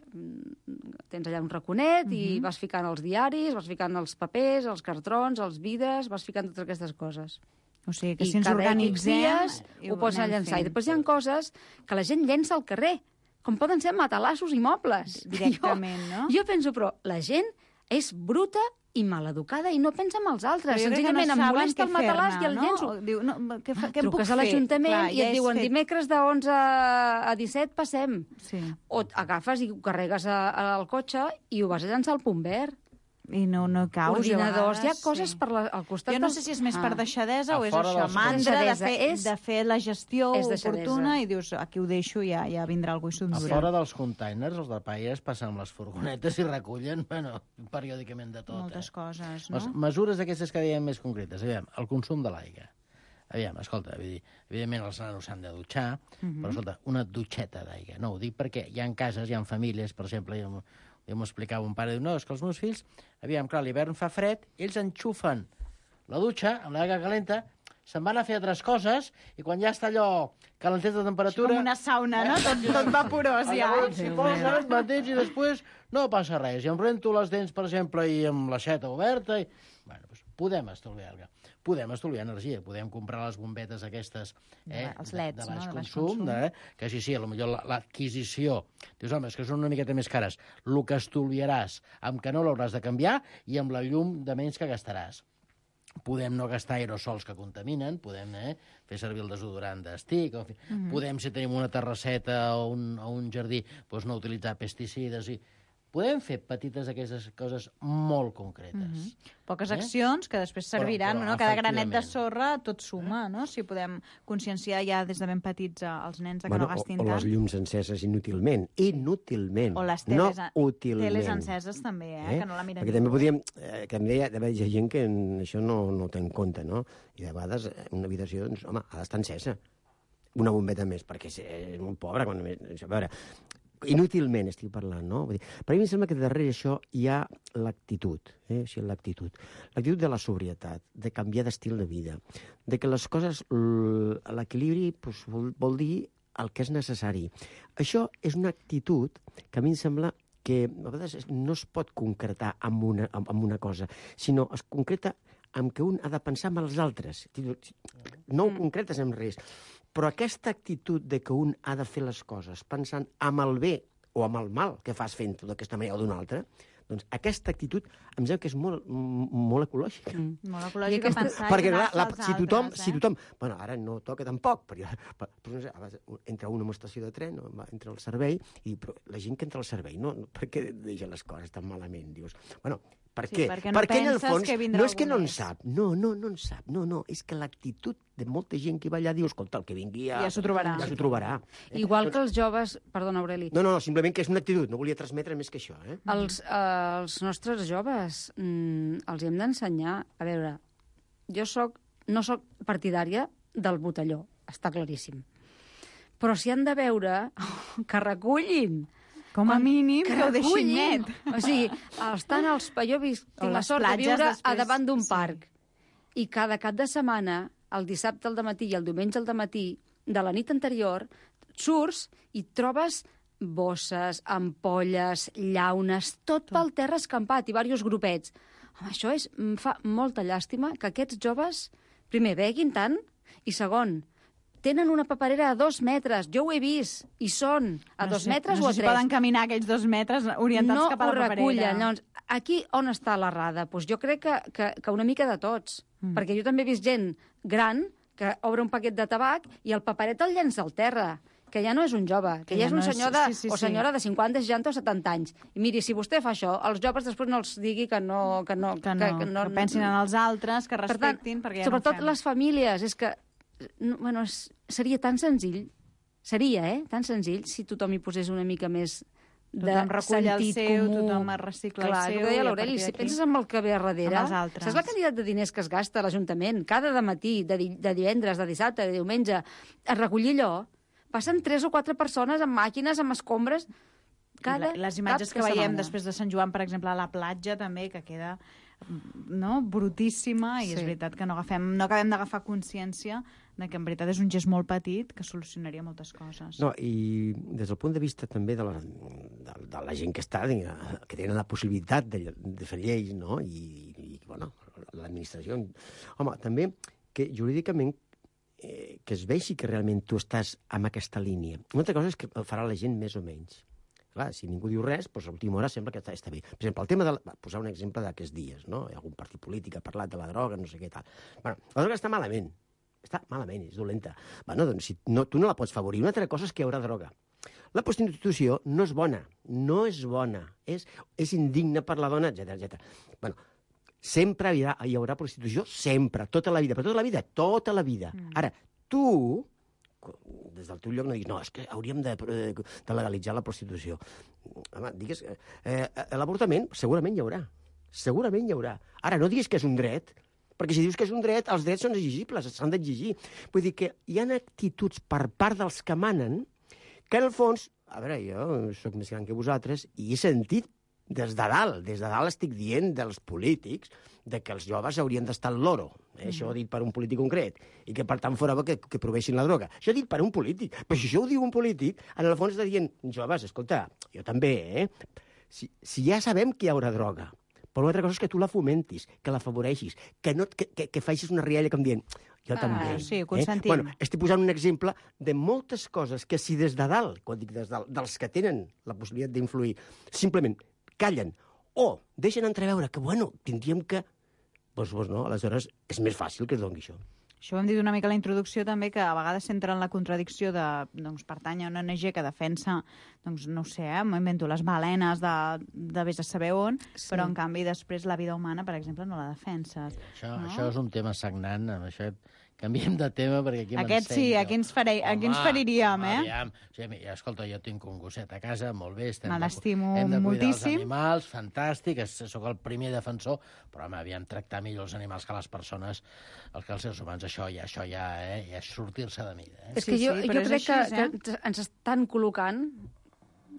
Tens allà un raconet i vas ficant els diaris, vas ficant els papers, els cartrons, els vidres, vas ficant totes aquestes coses. O sigui, que si ens organitzem... ho pots anar llançar. I després hi ha coses que la gent llença al carrer, com poden ser matalassos i mobles. Directament, no? Jo penso, però la gent és bruta i maleducada i no pensa en els altres. Senzillament em molesta el matalàs i el llenço. Diu, què em puc fer? Truques a l'Ajuntament i et diuen dimecres de 11 a 17 passem. O agafes i ho carregues al cotxe i ho vas a llançar al punt verd. I no caus. Ordinadors, hi ha coses al costat... Jo no sé si és més per deixadesa o és això, mantra de fer la gestió oportuna i dius, aquí ho deixo i ja vindrà algú i s'ho endurà. A fora dels containers, els de paies passen amb les furgonetes i recullen, periòdicament de tot. Moltes coses, no? Les mesures aquestes que dèiem més concretes. Aviam, el consum de l'aigua. Aviam, escolta, evidentment els nanos s'han de dutxar, però escolta, una dutxeta d'aigua. No, ho dic perquè hi ha cases, hi ha famílies, per exemple, jo m'ho explicava un pare, diu, no, és que els meus fills, aviam, clar, l'hivern fa fred, ells enxufen la dutxa amb l'aigua calenta, se'n van a fer altres coses, i quan ja està allò calentet de temperatura... Com una sauna, no? Tot vaporós, ja. S'hi posen, mateix, i després no passa res. I em rento les dents, per exemple, i amb l'aixeta oberta, i... Bueno, doncs podem estalviar energia, podem comprar les bombetes aquestes els leds, de baix consum, que sí, potser l'adquisició, dius, home, és que són una miqueta més cares, el que estalviaràs amb que no l'hauràs de canviar i amb la llum de menys que gastaràs. Podem no gastar aerosols que contaminen, podem fer servir el desodorant d'estic, podem, si tenim una terrasseta o un jardí, doncs no utilitzar pesticides i... Podem fer petites aquestes coses molt concretes. Poques accions que després serviran, no? Cada granet de sorra tot suma, no? Si podem conscienciar ja des de ben petits els nens que no gastin tant. O les llums enceses inútilment. Inútilment. O les teles enceses també, que no la miren. Perquè també podríem... Que em deia, hi ha gent que això no ho té en compte, no? I de vegades una habitació, doncs, home, ha d'estar encesa. Una bombeta més, perquè és molt pobra. A veure... Inútilment estic parlant, no? Vull dir, per mi em sembla que darrere això hi ha l'actitud, l'actitud de la sobrietat, de canviar d'estil de vida, de que les coses, l'equilibri vol dir el que és necessari. Això és una actitud que a mi em sembla que a vegades no es pot concretar amb una cosa, sinó es concreta amb que un ha de pensar en els altres. No ho concretes amb res. Però aquesta actitud de que un ha de fer les coses pensant amb el bé o amb el mal que fas fent-ho d'aquesta manera o d'una altra, Doncs aquesta actitud em sembla que és molt ecològica. Molt ecològica pensar perquè, clar, si tothom... Bueno, ara no toca tampoc, però no sé, entra una estació de tren, entra al servei, i però la gent que entra al servei, no, per què deixa les coses tan malament? Dius, bueno, per què? Perquè no perquè en el penses fons, que vindrà no és que algú no en més. sap, no en sap, no, és que l'actitud de molta gent que va allà diu, escolta, el que vingui Ja s'ho trobarà. Ja s'ho trobarà. Igual que els joves... Perdona, Aureli. No, simplement que és una actitud, no volia transmetre més que això, eh? Els nostres joves els hem d'ensenyar... A veure, jo no soc partidària del botelló, està claríssim. Però si han de veure, que recullin. Com a mínim, que ho deixin recullin. net. O sigui, estan als... Jo tinc la sort de viure a davant d'un parc. I cada cap de setmana, el dissabte al dematí i el diumenge al dematí, de la nit anterior, surts i trobes bosses, ampolles, llaunes, tot pel terra escampat i diversos grupets. Home, això em fa molta llàstima que aquests joves, primer, beguin tant, i segon, tenen una paperera a 2 metres. Jo ho he vist. I són a 2 metres o a 3. No sé si poden caminar aquells 2 metres orientats cap a la paperera. No ho recullen. Llavors, aquí on està l'errada? Doncs jo crec que una mica de tots. Perquè jo també he vist gent gran que obre un paquet de tabac i el paperet el llença al terra, que ja no és un jove, que ja és un senyor o senyora de 50, 60 o 70 anys. I miri, si vostè fa això, els joves després no els digui que pensin en els altres, que respectin, perquè ja no ho fem. Sobretot les famílies, és que seria tan senzill, tan senzill si tothom hi posés una mica més de sentit comú. Tothom recicla el seu. Clar, el que deia l'Aureli, si penses en el que ve a darrere, saps la quantitat de diners que es gasta a l'Ajuntament cada dematí, de divendres, de dissabte, de diumenge, a recollir allò, passen 3 o 4 persones amb màquines, amb escombres, les imatges que veiem després de Sant Joan, per exemple, a la platja també, que queda brutíssima, i és veritat que no acabem d'agafar consciència de que en veritat és un gest molt petit que solucionaria moltes coses. No, i des del punt de vista també de la gent que està, que tenen la possibilitat de fer lleis, no? I bueno, l'administració... Home, també que jurídicament que es vegi que realment tu estàs en aquesta línia. Una altra cosa és que el farà la gent més o menys. Clar, si ningú diu res, doncs a l'última hora sembla que està bé. Per exemple, el tema de... Posar un exemple d'aquests dies, no? Hi ha algun partit polític ha parlat de la droga, no sé què tal. Bueno, la droga està malament. Està malament, és dolenta. Bueno, doncs si tu no la pots favorir. Una altra cosa és que hi haurà droga. La prostitució no és bona. No és bona. És indigna per la dona, etc. Bueno, sempre hi haurà prostitució, sempre, tota la vida. Però tota la vida. Ara, tu... des del teu lloc no diguis, no, és que hauríem de legalitzar la prostitució. Home, digues, l'avortament segurament hi haurà. Segurament hi haurà. Ara, no diguis que és un dret, perquè si dius que és un dret, els drets són exigibles, s'han d'exigir. Vull dir que hi ha actituds per part dels que manen que, en el fons, a veure, jo sóc més gran que vosaltres i he sentit des de dalt estic dient dels polítics de que els joves haurien d'estar al loro. Això dit per un polític concret. I que, per tant, fora bo que provessin la droga. Això dit per un polític. Però si això ho diu un polític, en el fons està dient, joves, escolta, jo també, Si ja sabem que hi haurà droga, però una altra cosa és que tu la fomentis, que la afavoreixis, que facis una rialla com dient, jo també. Sí, ho consentim. Bueno, estic posant un exemple de moltes coses que si des de dalt, quan dic des de dalt, dels que tenen la possibilitat d'influir, simplement callen o deixen entreveure que, bueno, tindríem que... Doncs no, aleshores és més fàcil que es doni això. Això ho hem dit una mica a la introducció també, que a vegades s'entra en la contradicció de pertany a una ONG que defensa, no ho sé, m'invento les balenes de vés a saber on, però en canvi després la vida humana, per exemple, no la defenses. Això és un tema sagnant, amb això canviem de tema perquè aquí Aquest sí, aquí ens feriríem, Aviam. Escolta, jo tinc un gosset a casa, molt bé, me l'estimo hem de cuidar moltíssim. els animals, fantàstic, sóc el primer defensor, però home, aviam, tractar millor els animals que les persones, que els éssers humans, això ja és sortir-se de mida. És que jo crec que ens estan col·locant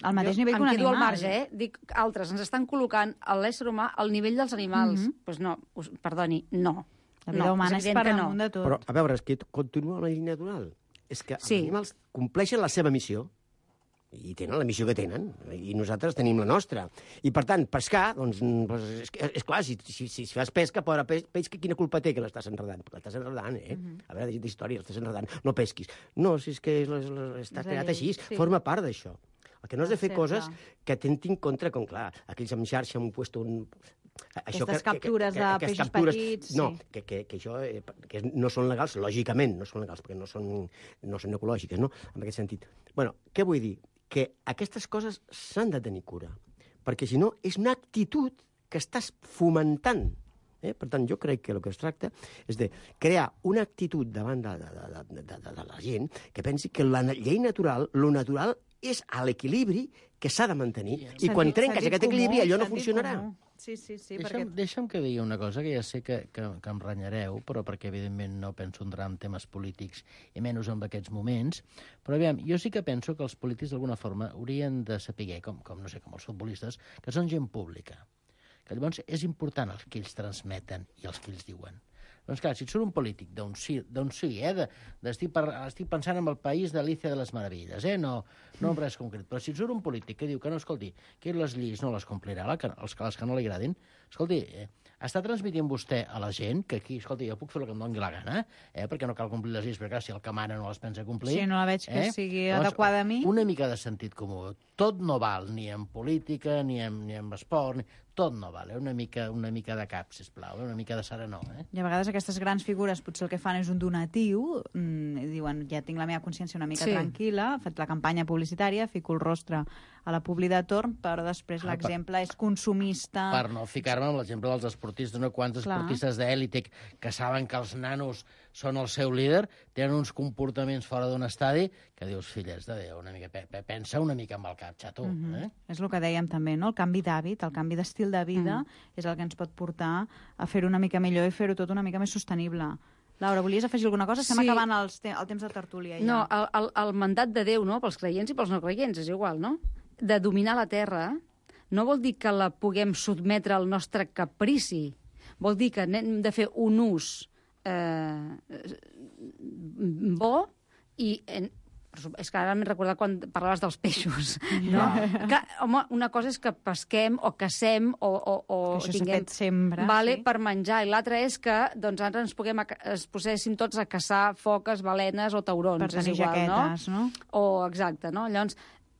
al mateix nivell que un animal. Em quedo al marge, dic altres, ens estan col·locant l'ésser humà al nivell dels animals. Doncs no, perdoni, no. La vida humana és per damunt de tot. Però, a veure, és que continua la línia natural. És que els animals compleixen la seva missió i tenen la missió que tenen, i nosaltres tenim la nostra. I, per tant, pescar, doncs, és clar, si fas pesca, pobre peix, quina culpa té que l'estàs enredant? L'estàs enredant, A veure, d'història, l'estàs enredant. No pesquis. No, si és que està creat així, forma part d'això. El que no has de fer coses que atemptin contra, com clar, aquells amb xarxa han puesto un... Aquestes captures de peixos petits... No, que això que no són legals, lògicament, no són legals, perquè no són ecològiques, no?, en aquest sentit. Bueno, què vull dir? Que aquestes coses s'han de tenir cura, perquè si no és una actitud que estàs fomentant. Per tant, jo crec que el que es tracta és de crear una actitud davant de la gent que pensi que la llei natural, lo natural, és a l'equilibri que s'ha de mantenir. I quan trenques aquest equilibri, allò no funcionarà. Sí, Deixa'm que digui una cosa, que ja sé que em renyareu, però perquè, evidentment, no penso entrar en temes polítics, i menys en aquests moments. Però, aviam, jo sí que penso que els polítics, d'alguna forma, haurien de saber, com els futbolistes, que són gent pública. Que llavors és important el que ells transmeten i els que ells diuen. Doncs clar, si et surt un polític d'on sigui, estic pensant en el país d'Alicia de les Meravilles, no en res concret, però si et surt un polític que diu que no, escolti, que les lleis no les complirà, les que no li agradin, escolti, està transmitint vostè a la gent que aquí, escolti, jo puc fer el que em doni la gana, perquè no cal complir les lleis, perquè si el que mana no les pensa complir... Sí, no la veig que sigui adequada a mi. Una mica de sentit comú. Tot no val, ni en política, ni en esport, tot no val, una mica de cap, sisplau, una mica de serenor. I a vegades aquestes grans figures potser el que fan és un donatiu, diuen, ja tinc la meva consciència una mica tranquil·la, faig la campanya publicitària, fico el rostre a la publi de torn, però després l'exemple és consumista... Per no ficar-me amb l'exemple dels esportistes, quants esportistes d'èlite que saben que els nanos són el seu líder, tenen uns comportaments fora d'un estadi que dius, filles de Déu, una mica, pensa una mica amb el cap, xato. És el que dèiem també, no? El canvi d'hàbit, el canvi d'estil de vida és el que ens pot portar a fer-ho una mica millor i fer-ho tot una mica més sostenible. Laura, volies afegir alguna cosa? Estem acabant el temps de tertúlia. No, el mandat de Déu, no?, pels creients i pels no creients, és igual, no? De dominar la terra no vol dir que la puguem sotmetre al nostre caprici. Vol dir que hem de fer un ús bo i... És que ara m'he recordat quan parlaves dels peixos, no? Que, home, una cosa és que pesquem o caçem o tinguem sempre, per menjar, i l'altra és que doncs, ara ens poséssim tots a caçar foques, balenes o taurons. Per tenir jaquetes, no? Exacte, no? Llavors,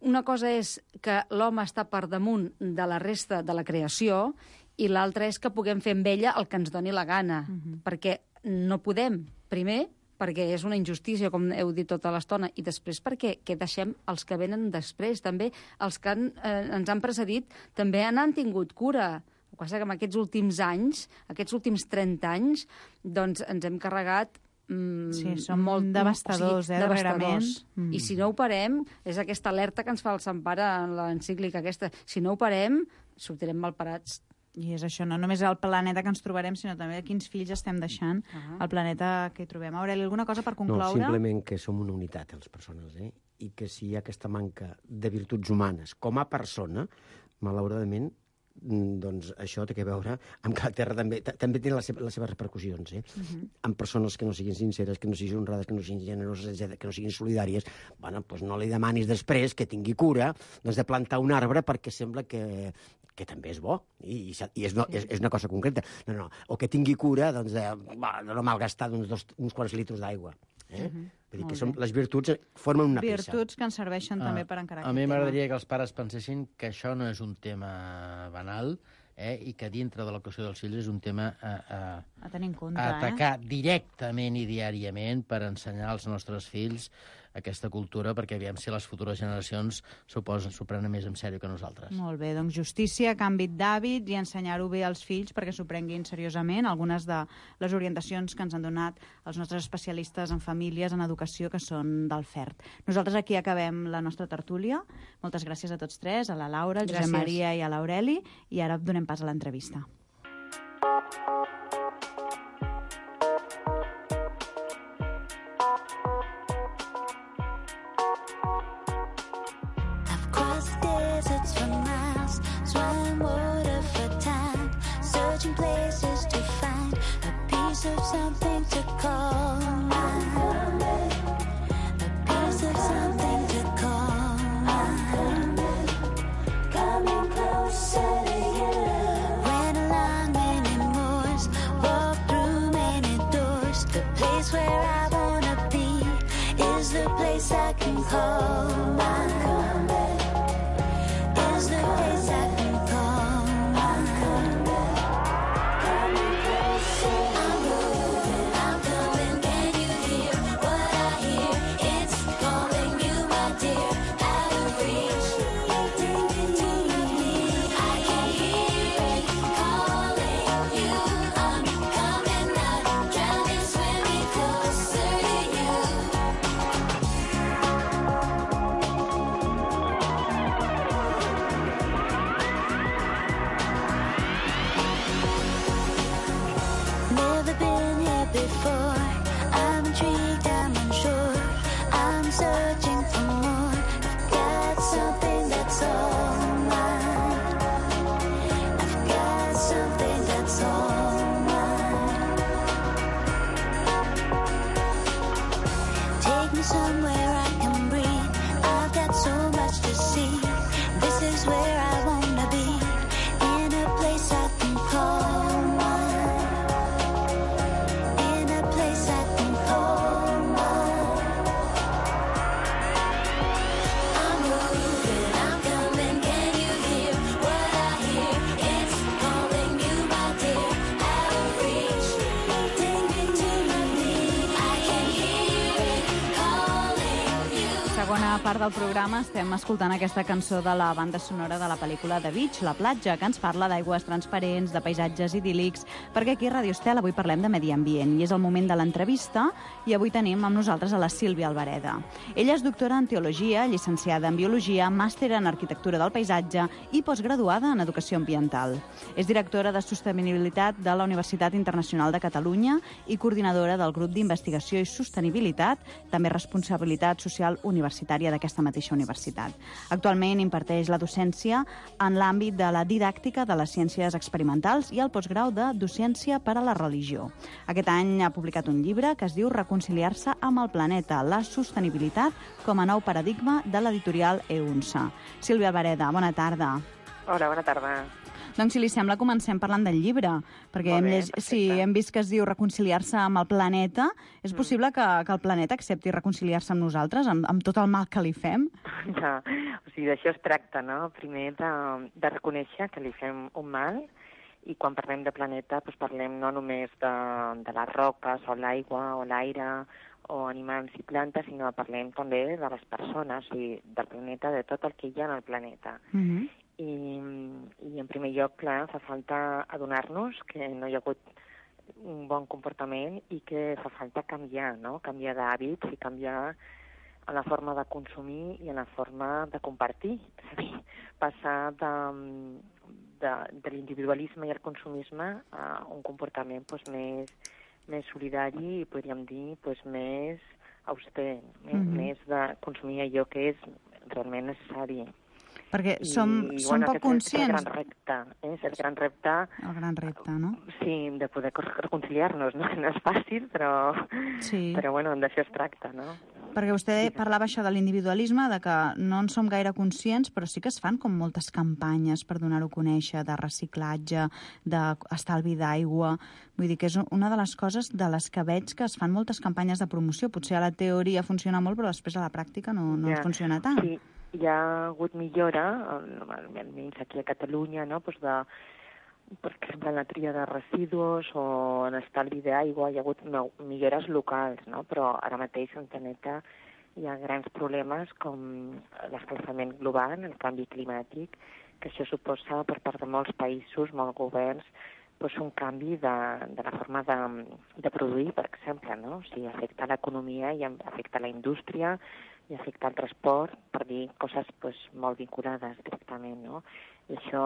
una cosa és que l'home està per damunt de la resta de la creació i l'altra és que puguem fer amb ella el que ens doni la gana, perquè no podem, primer, perquè és una injustícia, com heu dit tota l'estona, i després perquè deixem els que venen després. També els que ens han precedit també n'han tingut cura. El que passa que en aquests últims anys, aquests últims 30 anys, doncs ens hem carregat són molt devastadors, devastadors. I si no ho parem, és aquesta alerta que ens fa el Sant Pare en l'encíclica aquesta, si no ho parem, sortirem malparats. I és això, no només el planeta que ens trobarem, sinó també quins fills estem deixant al planeta que hi trobem. Aureli, alguna cosa per concloure? No, simplement que som una unitat, les persones, i que si hi ha aquesta manca de virtuts humanes com a persona, malauradament, doncs això té a veure amb que la Terra també té les seves repercussions, amb persones que no siguin sinceres, que no siguin honrades, que no siguin generoses, que no siguin solidàries. Bueno, doncs no li demanis després que tingui cura de plantar un arbre perquè sembla que també és bo, i és una cosa concreta. No, o que tingui cura de no malgastar uns quants litres d'aigua. Vull dir que les virtuts formen una peça. Virtuts que ens serveixen també per encarar aquest tema. A mi m'agradaria que els pares pensessin que això no és un tema banal i que dintre de l'educació dels fills és un tema a tenir en compte, a atacar directament i diàriament per ensenyar als nostres fills aquesta cultura, perquè aviam si les futures generacions s'ho prenen més en sèrio que nosaltres. Molt bé, doncs justícia, canvi d'hàbit i ensenyar-ho bé als fills perquè s'ho prenguin seriosament. Algunes de les orientacions que ens han donat els nostres especialistes en famílies, en educació, que són del FERT. Nosaltres aquí acabem la nostra tertúlia. Moltes gràcies a tots tres, a la Laura, al Josep Maria i a l'Aureli, i ara donem pas a l'entrevista. I can call my before. I'm intrigued, I'm unsure. I'm searching for more. I've got something that's all mine. I've got something that's all mine. Take me somewhere I can breathe. I've got so much to see. This is where I wanna be. In a place I can call mine. In a place I can call mine. I'm moving, I'm coming, can you hear what I hear? It's calling you, my dear, out of reach. Take me to my knees, I can hear it calling you. Segona part del programa estem escoltant aquesta cançó de la banda sonora de la pel·lícula The Beach, La platja, que ens parla d'aigües transparents, de paisatges idíl·lics, perquè aquí a Radio Estel avui parlem de medi ambient i és el moment de l'entrevista i avui tenim amb nosaltres a la Sílvia Albareda. Ella és doctora en Teologia, llicenciada en Biologia, màster en Arquitectura del Paisatge i postgraduada en Educació Ambiental. És directora de Sostenibilitat de la Universitat Internacional de Catalunya i coordinadora del Grup d'Investigació i Sostenibilitat, també responsabilitat social universitària d'aquesta mateixa universitat. Actualment imparteix la docència en l'àmbit de la didàctica de les ciències experimentals i el postgrau de Docència per a la religió. Aquest any ha publicat un llibre que es diu Reconciliar-se amb el planeta, la sostenibilitat com a nou paradigma de l'editorial EUNSA. Sílvia Albareda, bona tarda. Hola, bona tarda. Doncs, si li sembla, comencem parlant del llibre, perquè hem vist que es diu Reconciliar-se amb el planeta. És possible que el planeta accepti reconciliar-se amb nosaltres, amb tot el mal que li fem? Ja, o sigui, d'això es tracta, no? Primer de reconèixer que li fem un mal, i quan parlem de planeta doncs parlem no només de les roques o l'aigua o l'aire o animals i plantes, sinó parlem també de les persones, o sigui, del planeta, de tot el que hi ha en el planeta. I en primer lloc, clar, fa falta adonar-nos que no hi ha hagut un bon comportament i que fa falta canviar, no? Canviar d'hàbits i canviar en la forma de consumir i en la forma de compartir. És a dir, passar de l'individualisme i el consumisme a un comportament més solidari i, podríem dir, més auster, més de consumir allò que és realment necessari. Perquè som poc conscients. És el gran repte. El gran repte, no? Sí, de poder reconciliar-nos, no? No és fàcil, però bueno, d'això es tracta, no? Perquè vostè parlava això de l'individualisme, de que no en som gaire conscients, però sí que es fan com moltes campanyes per donar-ho a conèixer, de reciclatge, d'estalvi d'aigua. Vull dir que és una de les coses de les que veig que es fan moltes campanyes de promoció. Potser a la teoria funciona molt, però després a la pràctica no funciona tant. Sí, hi ha hagut millora, almenys aquí a Catalunya, no?, doncs per exemple, en la tria de residus o en estalvi d'aigua hi ha hagut millores locals, no? Però ara mateix al planeta hi ha grans problemes com l'escalfament global, el canvi climàtic, que això suposa per part de molts països, molts governs, doncs un canvi de la forma de produir, per exemple, no? O sigui, afecta l'economia i afecta la indústria i afecta el transport, per dir coses molt vinculades directament, no? I això,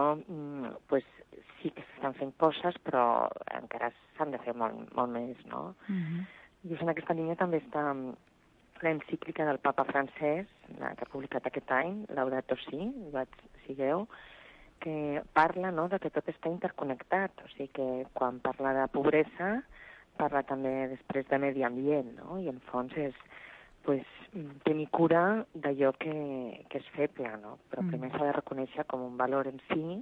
sí que s'estan fent coses, però encara s'han de fer molt més, no? I en aquesta línia també està l'encíclica del papa francès, que ha publicat aquest any, Laudato Si, sigueu, que parla, no?, de que tot està interconnectat, o sigui que quan parla de pobresa parla també després de medi ambient, no? I en fons és tenir cura d'allò que és feble, no? Però primer s'ha de reconèixer com un valor en si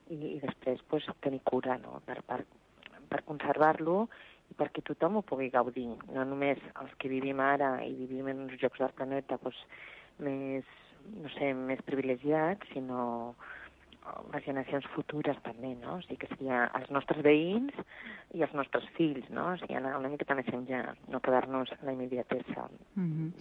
i després tenir cura, no?, per conservar-lo i perquè tothom ho pugui gaudir, no només els que vivim ara i vivim en uns llocs del planeta més privilegiats, sinó les generacions futures també, no? O sigui que seria els nostres veïns i els nostres fills, no? O sigui, anar una miqueta més enllà, no quedar-nos en la immediatesa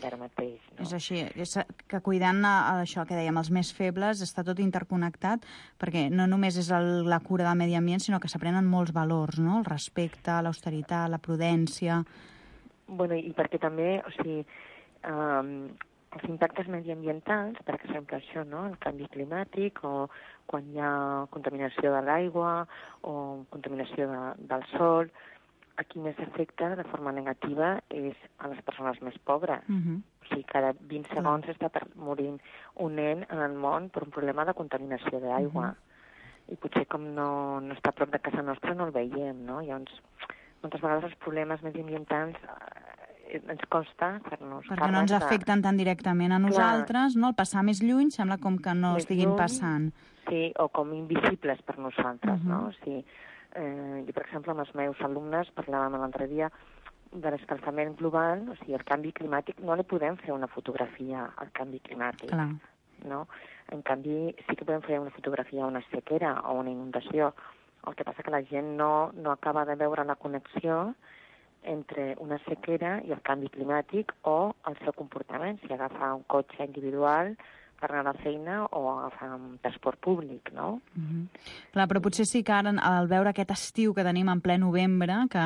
d'ara mateix, no? És així, és que cuidant això que dèiem, els més febles, està tot interconnectat, perquè no només és la cura del medi ambient, sinó que s'aprenen molts valors, no? El respecte, l'austeritat, la prudència... Bueno, i perquè també, o sigui, els impactes mediambientals, per exemple, això, no?, el canvi climàtic, o quan hi ha contaminació de l'aigua o contaminació del sol, a qui més afecta de forma negativa és a les persones més pobres. O sigui, cada 20 segons està morint un nen en el món per un problema de contaminació d'aigua. I potser com no està a prop de casa nostra no el veiem, no? Llavors, moltes vegades els problemes mediambientals ens costa fer-nos perquè no ens afecten tan directament a nosaltres, no? El passar més lluny sembla com que no estiguin passant. Sí, o com invisibles per nosaltres, no? O sigui, jo, per exemple, amb els meus alumnes parlàvem l'altre dia de l'escalfament global, o sigui, el canvi climàtic, no li podem fer una fotografia al canvi climàtic, no? En canvi, sí que podem fer una fotografia a una sequera o una inundació. El que passa que la gent no acaba de veure la connexió entre una sequera i el canvi climàtic o el seu comportament, si agafa un cotxe individual per anar a la feina o agafar un transport públic, no? Clar, però potser sí que ara, al veure aquest estiu que tenim en ple novembre, que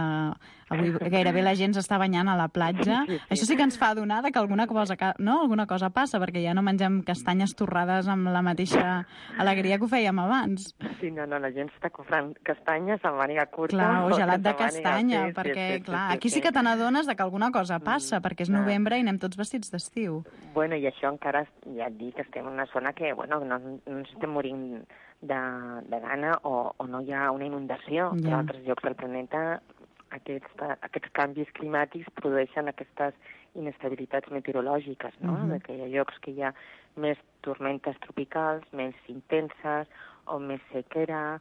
avui gairebé la gent s'està banyant a la platja, això sí que ens fa adonar que alguna cosa passa, perquè ja no mengem castanyes torrades amb la mateixa alegria que ho fèiem abans. Sí, no, la gent està comprant castanyes amb màniga curta. Clar, o gelat de castanya, perquè, clar, aquí sí que te n'adones que alguna cosa passa, perquè és novembre i anem tots vestits d'estiu. Bueno, i això encara, ja et dic, estem en una zona que, bueno, no ens estem morint de gana o no hi ha una inundació. En altres llocs del planeta aquests canvis climàtics produeixen aquestes inestabilitats meteorològiques, no? Que hi ha llocs que hi ha més tormentes tropicals, més intenses o més sequera,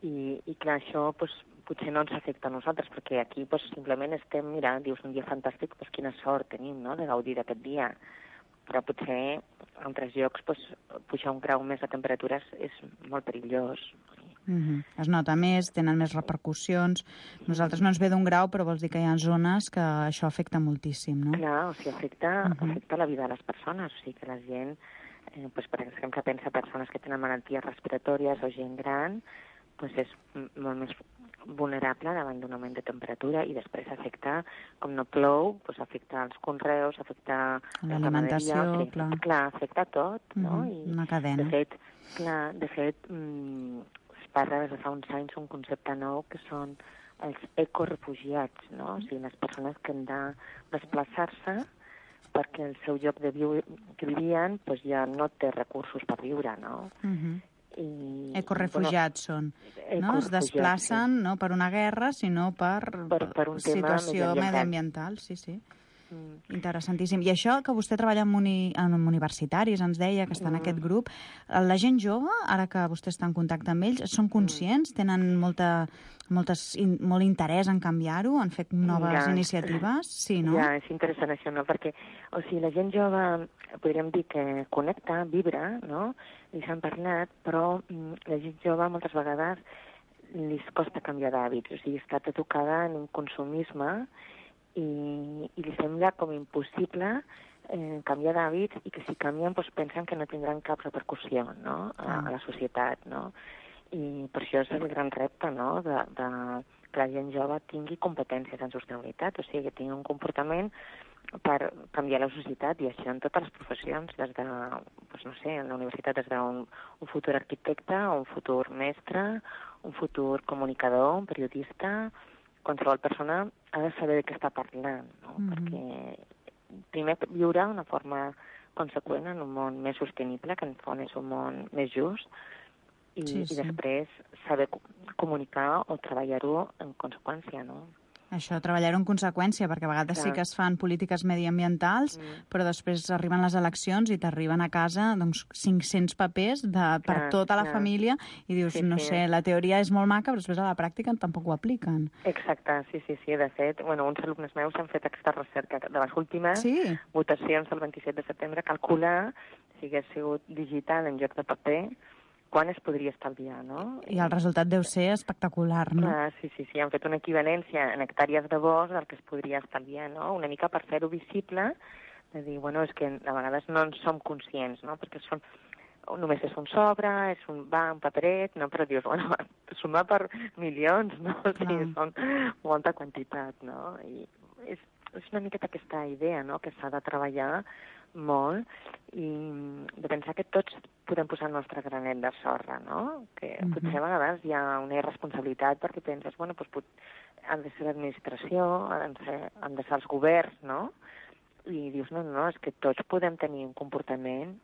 i clar, això potser no ens afecta a nosaltres, perquè aquí simplement estem, mira, dius, un dia fantàstic, quina sort tenim, no?, de gaudir d'aquest dia. Però potser en altres llocs pujar un grau més de temperatures és molt perillós. Es nota més, tenen més repercussions. Nosaltres no ens ve d'un grau, però vols dir que hi ha zones que això afecta moltíssim, no? Clar, o sigui, afecta la vida de les persones. O sigui, que la gent, per exemple, pensa persones que tenen malalties respiratòries o gent gran, és molt més vulnerable davant d'un augment de temperatura, i després afecta, com no plou, afecta els conreus, afecta l'alimentació, clar, afecta tot, no? Una cadena. De fet, es parla des de fa uns anys un concepte nou que són els ecorefugiats, no? O sigui, les persones que han de desplaçar-se perquè el seu lloc que vivien ja no té recursos per viure, no? Ecorefugiats són, no? Es desplacen no per una guerra, sinó per un situació mediambiental. Sí. Interessantíssim. I això que vostè treballa amb universitaris, ens deia que està en aquest grup, la gent jove, ara que vostè està en contacte amb ells, són conscients? Tenen molt interès en canviar-ho, en fer noves iniciatives? Sí, no? Ja, és interessant això, no? Perquè, o sigui, la gent jove, podríem dir que connecta, vibra, no? I s'han parlat, però la gent jove moltes vegades li costa canviar d'hàbits, o sigui, està tocada en un consumisme i li sembla com impossible canviar d'hàbits, i que si canvien pensen que no tindran cap repercussió, no? A la societat, no? I per això és el gran repte, no?, de que la gent jove tingui competències en sostenibilitat, o sigui, que tingui un comportament per canviar la societat, i això en totes les professions, des de, no sé, en la universitat, des d'un futur arquitecte, un futur mestre, un futur comunicador, un periodista. Qualsevol persona ha de saber de què està parlant, no? Perquè primer viure d'una forma conseqüent en un món més sostenible, que en font és un món més just, i després saber comunicar o treballar-ho en conseqüència, no? Això, treballar-ho en conseqüència, perquè a vegades sí que es fan polítiques mediambientals, però després arriben les eleccions i t'arriben a casa 500 papers per tota la família, i dius, no sé, la teoria és molt maca, però després a la pràctica tampoc ho apliquen. Exacte, sí. De fet, uns alumnes meus han fet aquesta recerca de les últimes votacions del 27 de setembre, calcular, si hagués sigut digital en lloc de paper, quan es podria estalviar, no? I el resultat deu ser espectacular, no? Sí, han fet una equivalència en hectàrees de bosc del que es podria estalviar, no? Una mica per fer-ho visible, de dir, és que a vegades no en som conscients, no? Perquè només és un sobre, un paperet, no? Però dius, sumar per milions, no? O sigui, són molta quantitat, no? I és una miqueta aquesta idea, no?, que s'ha de treballar molt, i de pensar que tots podem posar el nostre granet de sorra, no? Que potser a vegades hi ha una irresponsabilitat perquè penses, bueno, doncs han de ser l'administració, han de ser els governs, no? I dius, no, és que tots podem tenir un comportament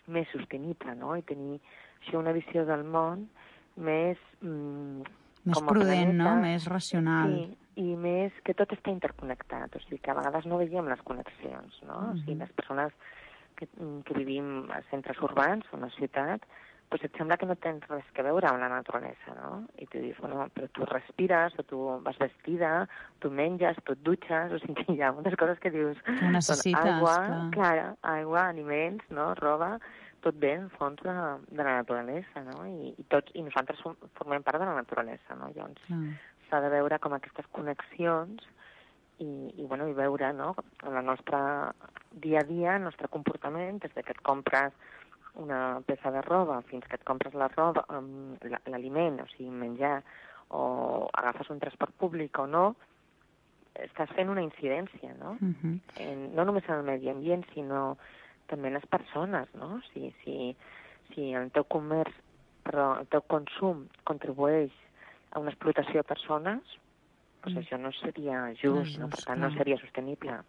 més sostenible, no? I tenir així una visió del món més... més prudent, no? Més racional. Sí, i més que tot està interconnectat, o sigui que a vegades no veiem les connexions, no? O sigui, les persones que vivim a centres urbans o a una ciutat, doncs et sembla que no tens res que veure amb la naturalesa, no? I tu dius, bueno, però tu respires, o tu vas vestida, tu menges, tu et dutxes, o sigui que hi ha moltes coses que dius... Que ho necessites, clar. Aigua, aliments, no? Roba, tot bé en fons de la naturalesa, no? I nosaltres formem part de la naturalesa, no? Llavors s'ha de veure com aquestes connexions i veure, no? En el nostre dia a dia, el nostre comportament, des que et compres una peça de roba fins que et compres la roba, l'aliment, o sigui, menjar, o agafes un transport públic o no, estàs fent una incidència, no? No només en el medi ambient, sinó també en les persones, no? Si el teu comerç, però el teu consum contribueix a una explotació de persones, doncs això no seria just, no? Per tant, no seria sostenible.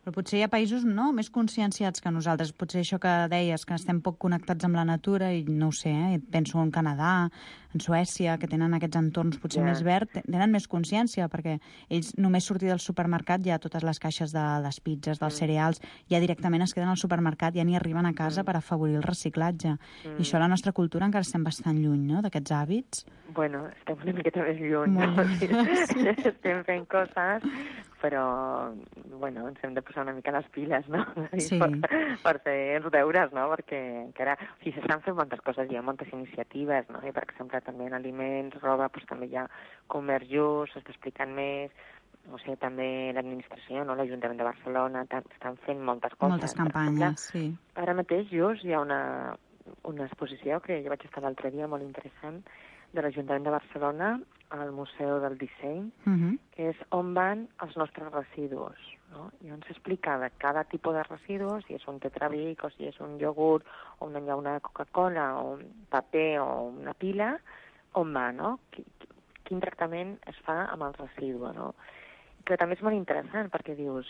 Però potser hi ha països més conscienciats que nosaltres. Potser això que deies, que estem poc connectats amb la natura, i no ho sé, penso en Canadà, en Suècia, que tenen aquests entorns potser més verds, tenen més consciència, perquè ells només sortir del supermercat ja totes les caixes de les pizzas, dels cereals, ja directament es queden al supermercat, ja ni arriben a casa per afavorir el reciclatge. I això a la nostra cultura encara estem bastant lluny, no?, d'aquests hàbits. Bueno, estem una miqueta més lluny, no? Sí. Estem fent coses, però, bueno, ens hem de posar una mica les piles, no? Sí. Per fer els deures, no? Perquè encara... O sigui, s'estan fent moltes coses, hi ha moltes iniciatives, no? I, per exemple, també en aliments, roba, doncs també hi ha comerç just, s'està explicant més, o sigui, també l'administració, no? L'Ajuntament de Barcelona, estan fent moltes coses. Moltes campanyes, sí. Ara mateix just hi ha una exposició que jo vaig estar l'altre dia molt interessant de l'Ajuntament de Barcelona al Museu del Disseny, que és on van els nostres residus, no? I on s'explica de cada tipus de residus, si és un tetrabric, o si és un iogurt, o una llauna de Coca-Cola, o un paper, o una pila, on va, no? Quin tractament es fa amb el residu, no? Però també és molt interessant, perquè dius,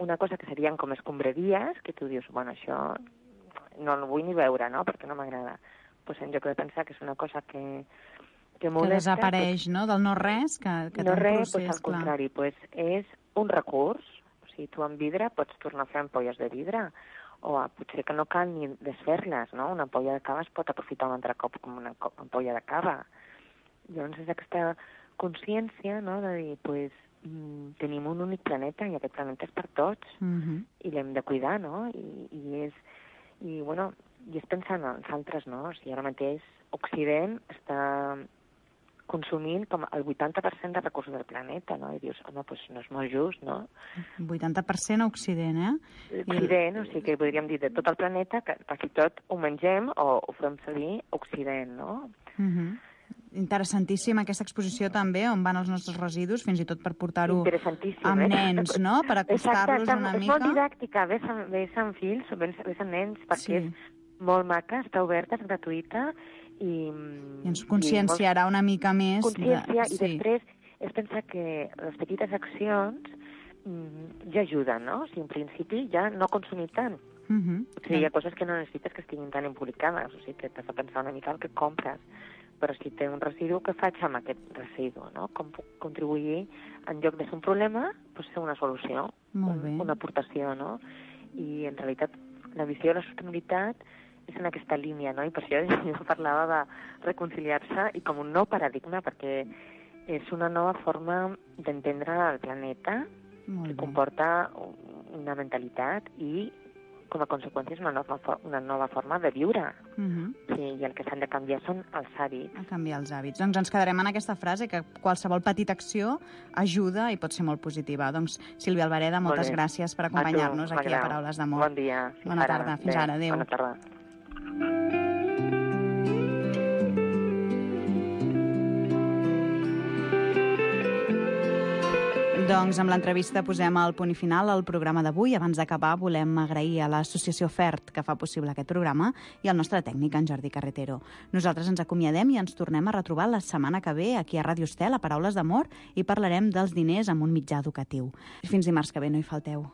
una cosa que serien com escombraries, que tu dius, bueno, això no el vull ni veure, no?, perquè no m'agrada. Pues en lloc de pensar que és una cosa que molesta... Que desapareix, no?, del no-res, que té un procés, pues, al contrari, pues, és un recurs. O sigui, tu amb vidre pots tornar a fer ampolles de vidre, o potser que no cal ni desfer-les, no? Una ampolla de cava es pot aprofitar un altre cop com una ampolla de cava. Llavors és aquesta consciència, no?, de dir, pues, tenim un únic planeta i aquest planeta és per tots i l'hem de cuidar, no? I és pensant en els altres, no? O sigui, ara mateix Occident està consumint com el 80% de recursos del planeta, no? I dius, home, doncs no és molt just, no? 80% a Occident, Occident, o sigui que podríem dir de tot el planeta, que quasi tot ho mengem o ho fem servir Occident, no? Interessantíssima aquesta exposició també, on van els nostres residus, fins i tot per portar-ho amb nens, no?, per acostar-los una mica. És molt didàctica, ves amb fills, ves amb nens, perquè és molt maca, està oberta, és gratuïta, i ens conscienciarà una mica més. Consciència, i després és pensar que les petites accions ja ajuden, no? O sigui, en principi ja no consumir tant. O sigui, hi ha coses que no necessites que estiguin tan embolicades, o sigui, que t'has de pensar una mica el que compres. Però si té un residu, què faig amb aquest residu, no? Com puc contribuir, en lloc de ser un problema, doncs ser una solució, una aportació, no? I en realitat la visió de la sostenibilitat és en aquesta línia, no? I per això jo parlava de reconciliar-se i com un nou paradigma, perquè és una nova forma d'entendre el planeta que comporta una mentalitat i com a conseqüència és una nova forma de viure. Sí, i el que s'han de canviar són els hàbits. A canviar els hàbits. Doncs ens quedarem en aquesta frase, que qualsevol petita acció ajuda i pot ser molt positiva. Doncs, Sílvia Albareda, moltes gràcies per acompanyar-nos aquí a Paraules d'Amor. Bon dia. Bona tarda. Fins ara. Adéu. Bona tarda. Doncs amb l'entrevista posem el punt i final al programa d'avui. Abans d'acabar volem agrair a l'associació FERT que fa possible aquest programa i al nostre tècnic, en Jordi Carretero. Nosaltres ens acomiadem i ens tornem a retrobar la setmana que ve aquí a Ràdio Estel, a Paraules d'Amor, i parlarem dels diners amb un mitjà educatiu. Fins dimarts que ve, no hi falteu.